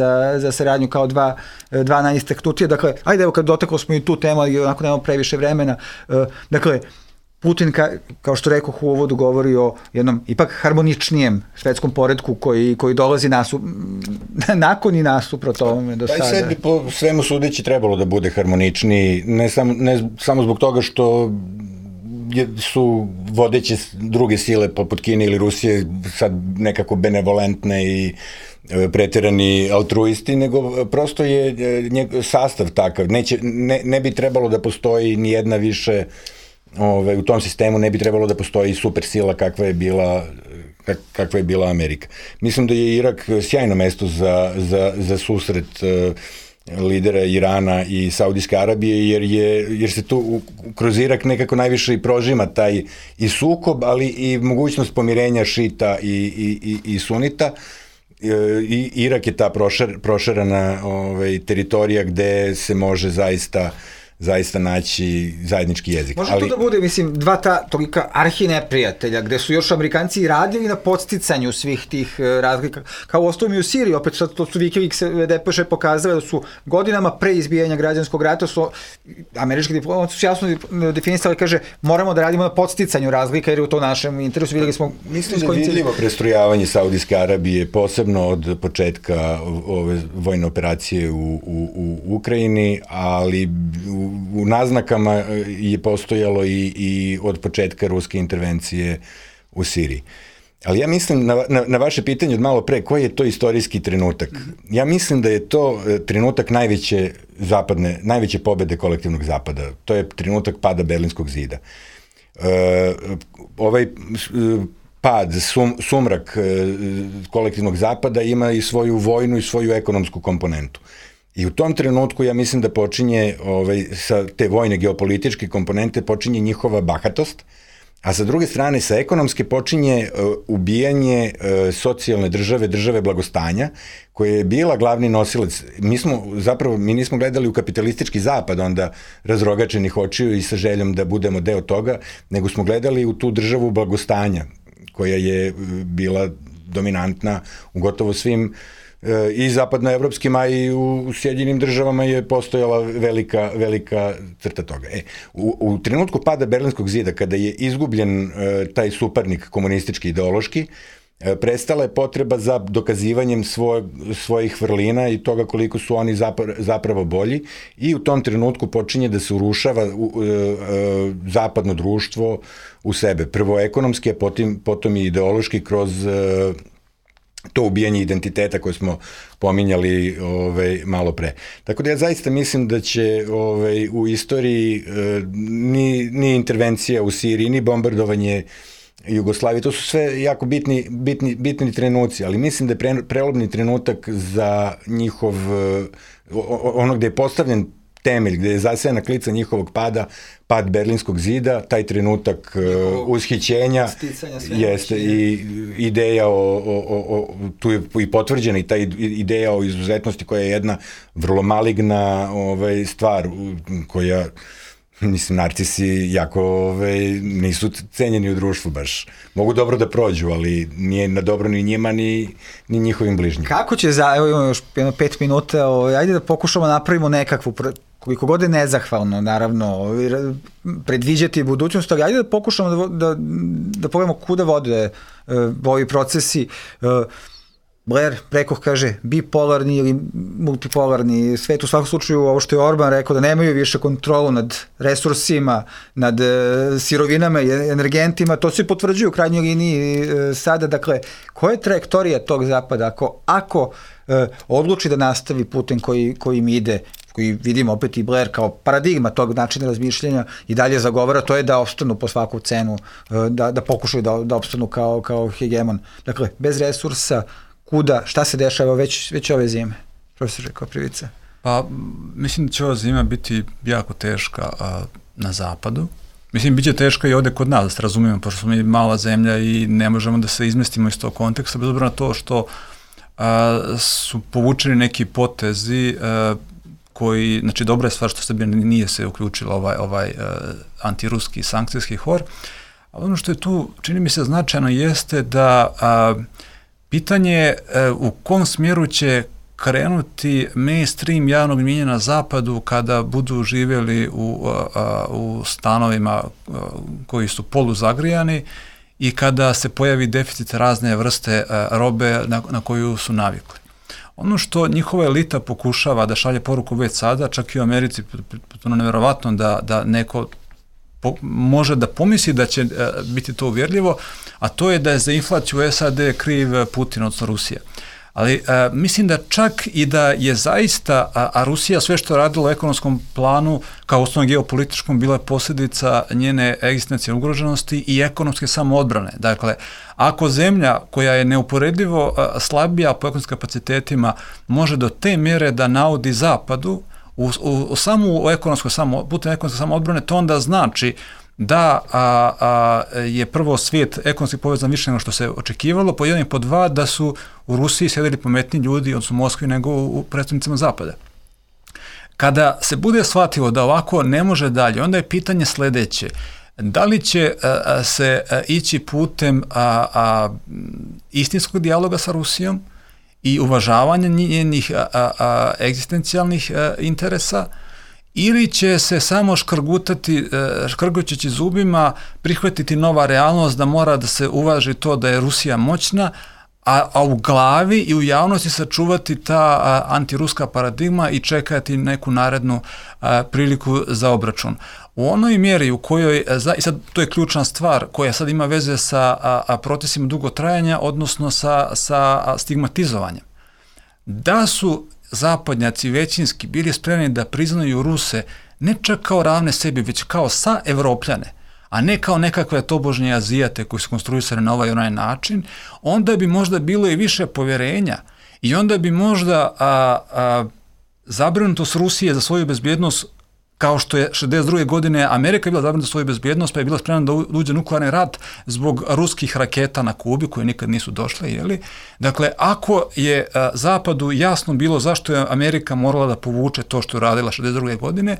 za saradnju kao dva najistaknutija. Dakle, ajde evo kad dotaklo smo i tu temu, ali onako nemamo previše vremena. Dakle, Putin, kao što rekoh u uvodu, govori o jednom ipak harmoničnijem svetskom poretku koji dolazi nakon i nasuprot ovome do sada. Pa i sad bi po svemu sudeći trebalo da bude harmoničniji, ne samo zbog toga što su vodeće druge sile poput Kine ili Rusije sad nekako benevolentne i preterani altruisti, nego prosto je sastav takav. Ne bi trebalo da postoji ni jedna više, u tom sistemu ne bi trebalo da postoji super sila kakva je bila Amerika. Mislim da je Irak sjajno mesto za susret lidera Irana i Saudijske Arabije, jer se tu kroz Irak nekako najviše i prožima taj i sukob, ali i mogućnost pomirenja šita i sunita. I Irak je ta prošarana teritorija gde se može zaista naći zajednički jezik. Može to da bude, mislim, dva tolika arhineprijatelja, gde su još Amerikanci i radili na podsticanju svih tih razlika, kao u osnovu i u Siriji, opet sad to su Wikileaks depeše pokazali da su godinama pre izbijanja građanskog rata, su američki diplomati su jasno definisali, kaže, moramo da radimo na podsticanju razlika, jer je u to našem interesu, vidjeli smo... Mislim da je vidljivo prestrojavanje Saudijske Arabije, posebno od početka ove vojne operacije u Ukrajini, ali u naznakama je postojalo i od početka ruske intervencije u Siriji. Ali ja mislim, na vaše pitanje od malo pre, koji je to istorijski trenutak? Ja mislim da je to trenutak najveće pobede kolektivnog zapada. To je trenutak pada Berlinskog zida. Ovaj pad, sumrak kolektivnog zapada ima i svoju vojnu i svoju ekonomsku komponentu. I u tom trenutku ja mislim da počinje, sa te vojne geopolitičke komponente, počinje njihova bahatost, a sa druge strane sa ekonomske počinje ubijanje socijalne države blagostanja, koja je bila glavni nosilac. Mi nismo gledali u kapitalistički zapad onda razrogačenih očiju i sa željom da budemo deo toga, nego smo gledali u tu državu blagostanja, koja je bila dominantna u gotovo svim i zapadnoevropskim, a i u Sjedinjenim državama je postojala velika crta toga. U trenutku pada Berlinskog zida, kada je izgubljen taj suparnik komunistički ideološki, prestala je potreba za dokazivanjem svojih vrlina i toga koliko su oni zapravo bolji, i u tom trenutku počinje da se urušava zapadno društvo u sebe. Prvo ekonomski, a potom i ideološki kroz to ubijanje identiteta koje smo pominjali malo pre. Tako da ja zaista mislim da će u istoriji ni intervencija u Siriji, ni bombardovanje Jugoslavije, to su sve jako bitni trenuci, ali mislim da je prelomni trenutak za njihov, ono gde je postavljen temelj, gde je zasejana klica njihovog pad Berlinskog zida, taj trenutak ushićenja jeste i ideja tu je i potvrđena i ta ideja o izuzetnosti, koja je jedna vrlo maligna stvar, koja, mislim, narcisi jako nisu cenjeni u društvu baš. Mogu dobro da prođu, ali nije na dobro ni njima, ni njihovim bližnjima. Kako će, evo imamo još 5 minuta, ajde da pokušamo napravimo nekakvu, koliko god je nezahvalno, naravno, predviđati budućnost, ali ajde da pokušamo da pogledamo kuda vode ovi procesi. Blair, rekoh, kaže, bipolarni ili multipolarni svet, u svakom slučaju ovo što je Orban rekao, da nemaju više kontrolu nad resursima, nad sirovinama i energentima, to se potvrđuju u krajnjoj liniji sada. Dakle, koja je trajektorija tog zapada ako odluči da nastavi putem kojim ide, koji vidimo opet i Blair kao paradigma tog načina razmišljanja i dalje zagovara, to je da opstanu po svaku cenu, da pokušaju da opstanu kao hegemon. Dakle, bez resursa, kuda, šta se dešava već ove zime? Profesor Koprivica. Pa, mislim da će ova zima biti jako teška na zapadu. Mislim, bit će teška i ovde kod nas, da se razumijemo, pošto smo mi mala zemlja i ne možemo da se izmestimo iz tog konteksta, bez obzira na to što su povučeni neki potezi koji, znači dobra je stvar što Srbija nije se uključila ovaj antiruski sankcijski hor, ali ono što je tu, čini mi se, značajno jeste da pitanje u kom smjeru će krenuti mainstream javnog mnijenja na zapadu kada budu živjeli u stanovima koji su poluzagrijani i kada se pojavi deficit razne vrste robe na koju su navikli. Ono što njihova elita pokušava da šalje poruku već sada, čak i u Americi, potpuno nevjerovatno da neko može da pomisli da će biti to uvjerljivo, a to je da je za inflaciju SAD kriv Putin, odnosno Rusija. Ali mislim da čak i da je zaista, a Rusija sve što je radila u ekonomskom planu, kao osnovnom geopolitičkom, bila je posljedica njene egzistencije ugroženosti i ekonomske samoodbrane. Dakle, ako zemlja koja je neuporedivo slabija po ekonomskim kapacitetima može do te mjere da naudi zapadu putem ekonomske samoodbrane, to onda znači da je prvo svijet ekonomski povezan više nego što se očekivalo, po jedan i po dva da su u Rusiji sjedili pametni ljudi, odnosno u Moskvi, nego u predstavnicima zapada. Kada se bude shvatilo da ovako ne može dalje, onda je pitanje sljedeće: da li će se ići putem istinskog dijaloga sa Rusijom i uvažavanja njenih egzistencijalnih interesa, ili će se samo škrgućeći zubima prihvatiti nova realnost da mora da se uvaži to da je Rusija moćna, a u glavi i u javnosti sačuvati ta antiruska paradigma i čekati neku narednu priliku za obračun. U onoj mjeri u kojoj, i sad to je ključna stvar koja sad ima veze sa procesima dugotrajanja, odnosno sa stigmatizovanjem. Da su zapadnjaci većinski bili spremni da priznaju Ruse ne čak kao ravne sebi, već kao sa Evropljane, a ne kao nekakve tobožnje Azijate koji su konstruisane na ovaj onaj način, onda bi možda bilo i više povjerenja i onda bi možda zabrinutost Rusije za svoju bezbjednost, kao što je 62. godine Amerika bila zabrinuta za svoju bezbjednost, pa je bila spremna da uđe nuklearni rat zbog ruskih raketa na Kubi, koje nikad nisu došle, jeli? Dakle, ako je Zapadu jasno bilo zašto je Amerika morala da povuče to što je radila 62. godine,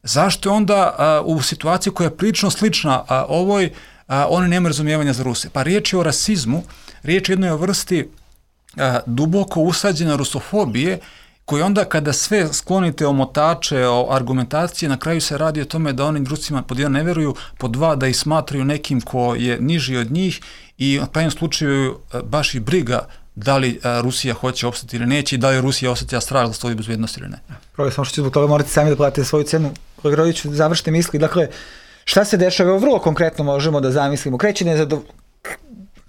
zašto je onda u situaciji koja je prilično slična ovoj, oni nemaju razumijevanja za Ruse? Pa riječ je o rasizmu, riječ je jednoj vrsti duboko usađene rusofobije, koji onda kada sve sklonite omotače, o argumentacije, na kraju se radi o tome da oni Rusima pod jedan ne vjeruju, pod dva da ih smatraju nekim ko je niži od njih i u pravom slučaju baš i briga da li Rusija hoće opstati ili neće i da li Rusija osjeća strah za svoju bezbjednost ili ne. Prvo samo što ću zbog toga morate sami da platite svoju cenu. Kolega Rodiću, završite misli. Dakle, šta se dešava? Vrlo konkretno možemo da zamislimo.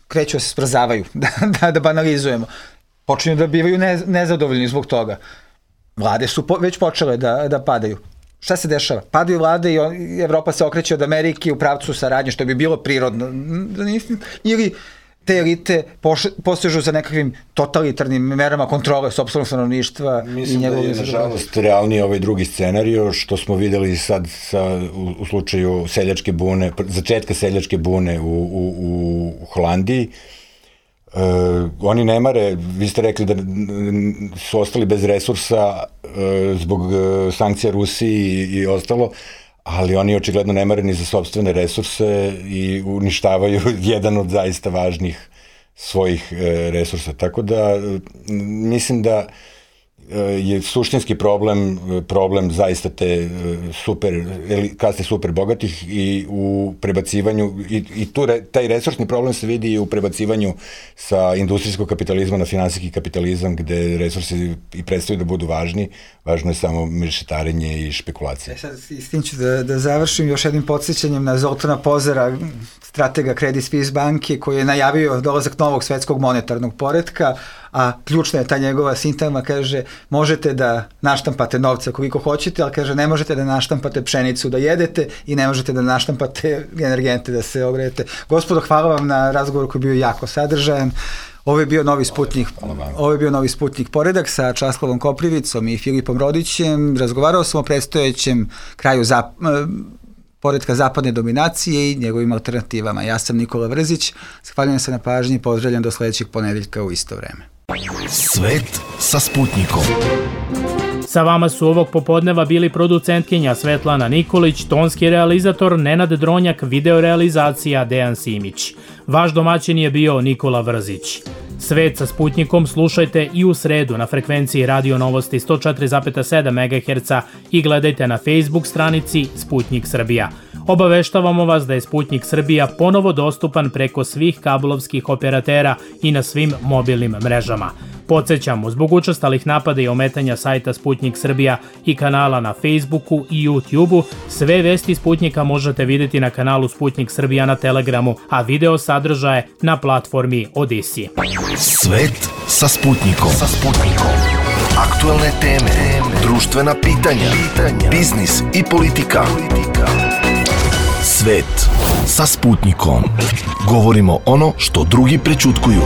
Kreću se sprzavaju, da banalizujemo. Počinju da bivaju nezadovoljni zbog toga. Vlade su već počele da padaju. Šta se dešava? Padaju vlade i Evropa se okreće od Amerike u pravcu saradnje, što bi bilo prirodno. Ili te elite posežu za nekakvim totalitarnim merama kontrole sopstvenog stanovništva. Mislim da je, nažalost, realniji ovaj drugi scenario, što smo videli sad u slučaju seljačke bune, začetka seljačke bune u Holandiji. Oni ne mare, vi ste rekli da su ostali bez resursa zbog sankcija Rusiji i ostalo, ali oni očigledno ne mare ni za sopstvene resurse i uništavaju jedan od zaista važnih svojih resursa. Tako da mislim da je suštinski problem zaista te kaste super bogatih i u prebacivanju, i taj resursni problem se vidi i u prebacivanju sa industrijskog kapitalizma na finansijski kapitalizam, gde resursi i predstavljaju da budu važni, važno je samo mešetarenje i špekulacije. Sad s tim ću da završim još jednim podsjećanjem na Zoltana Pozera, stratega Credit Suisse banke, koji je najavio dolazak novog svetskog monetarnog poretka, a ključna je ta njegova sintagma, kaže, možete da naštampate novce koliko hoćete, ali kaže, ne možete da naštampate pšenicu da jedete i ne možete da naštampate energente da se ogrejete. Gospodo, hvala vam na razgovoru koji je bio jako sadržajan. Ovo je bio novi Sputnik poredak sa Časlavom Koprivicom i Filipom Rodićem. Razgovarao sam o predstojećem kraju poretka zapadne dominacije i njegovim alternativama. Ja sam Nikola Vrzić, zahvaljujem se na pažnji i pozdravljam do sledećeg ponedeljka u isto vreme. Svet sa Sputnikom. Sa vama su ovog popodneva bili producentkinja Svetlana Nikolić, tonski realizator Nenad Dronjak, videorealizacija Dejan Simić. Vaš domaćin je bio Nikola Vrzić. Svet sa Sputnikom slušajte i u sredu na frekvenciji Radio Novosti 104,7 MHz i gledajte na Facebook stranici Sputnik Srbija. Obaveštavamo vas da je Sputnik Srbija ponovo dostupan preko svih kablovskih operatera i na svim mobilnim mrežama. Podsjećamo, zbog učestalih napada i ometanja sajta Sputnik Srbija i kanala na Facebooku i YouTubeu, sve vesti Sputnika možete vidjeti na kanalu Sputnik Srbija na Telegramu, a video sadržaje na platformi Odisi. Svet sa Sputnikom. Aktualne teme, društvena pitanja, biznis i politika. Svet sa Sputnikom. Govorimo ono što drugi prećutkuju.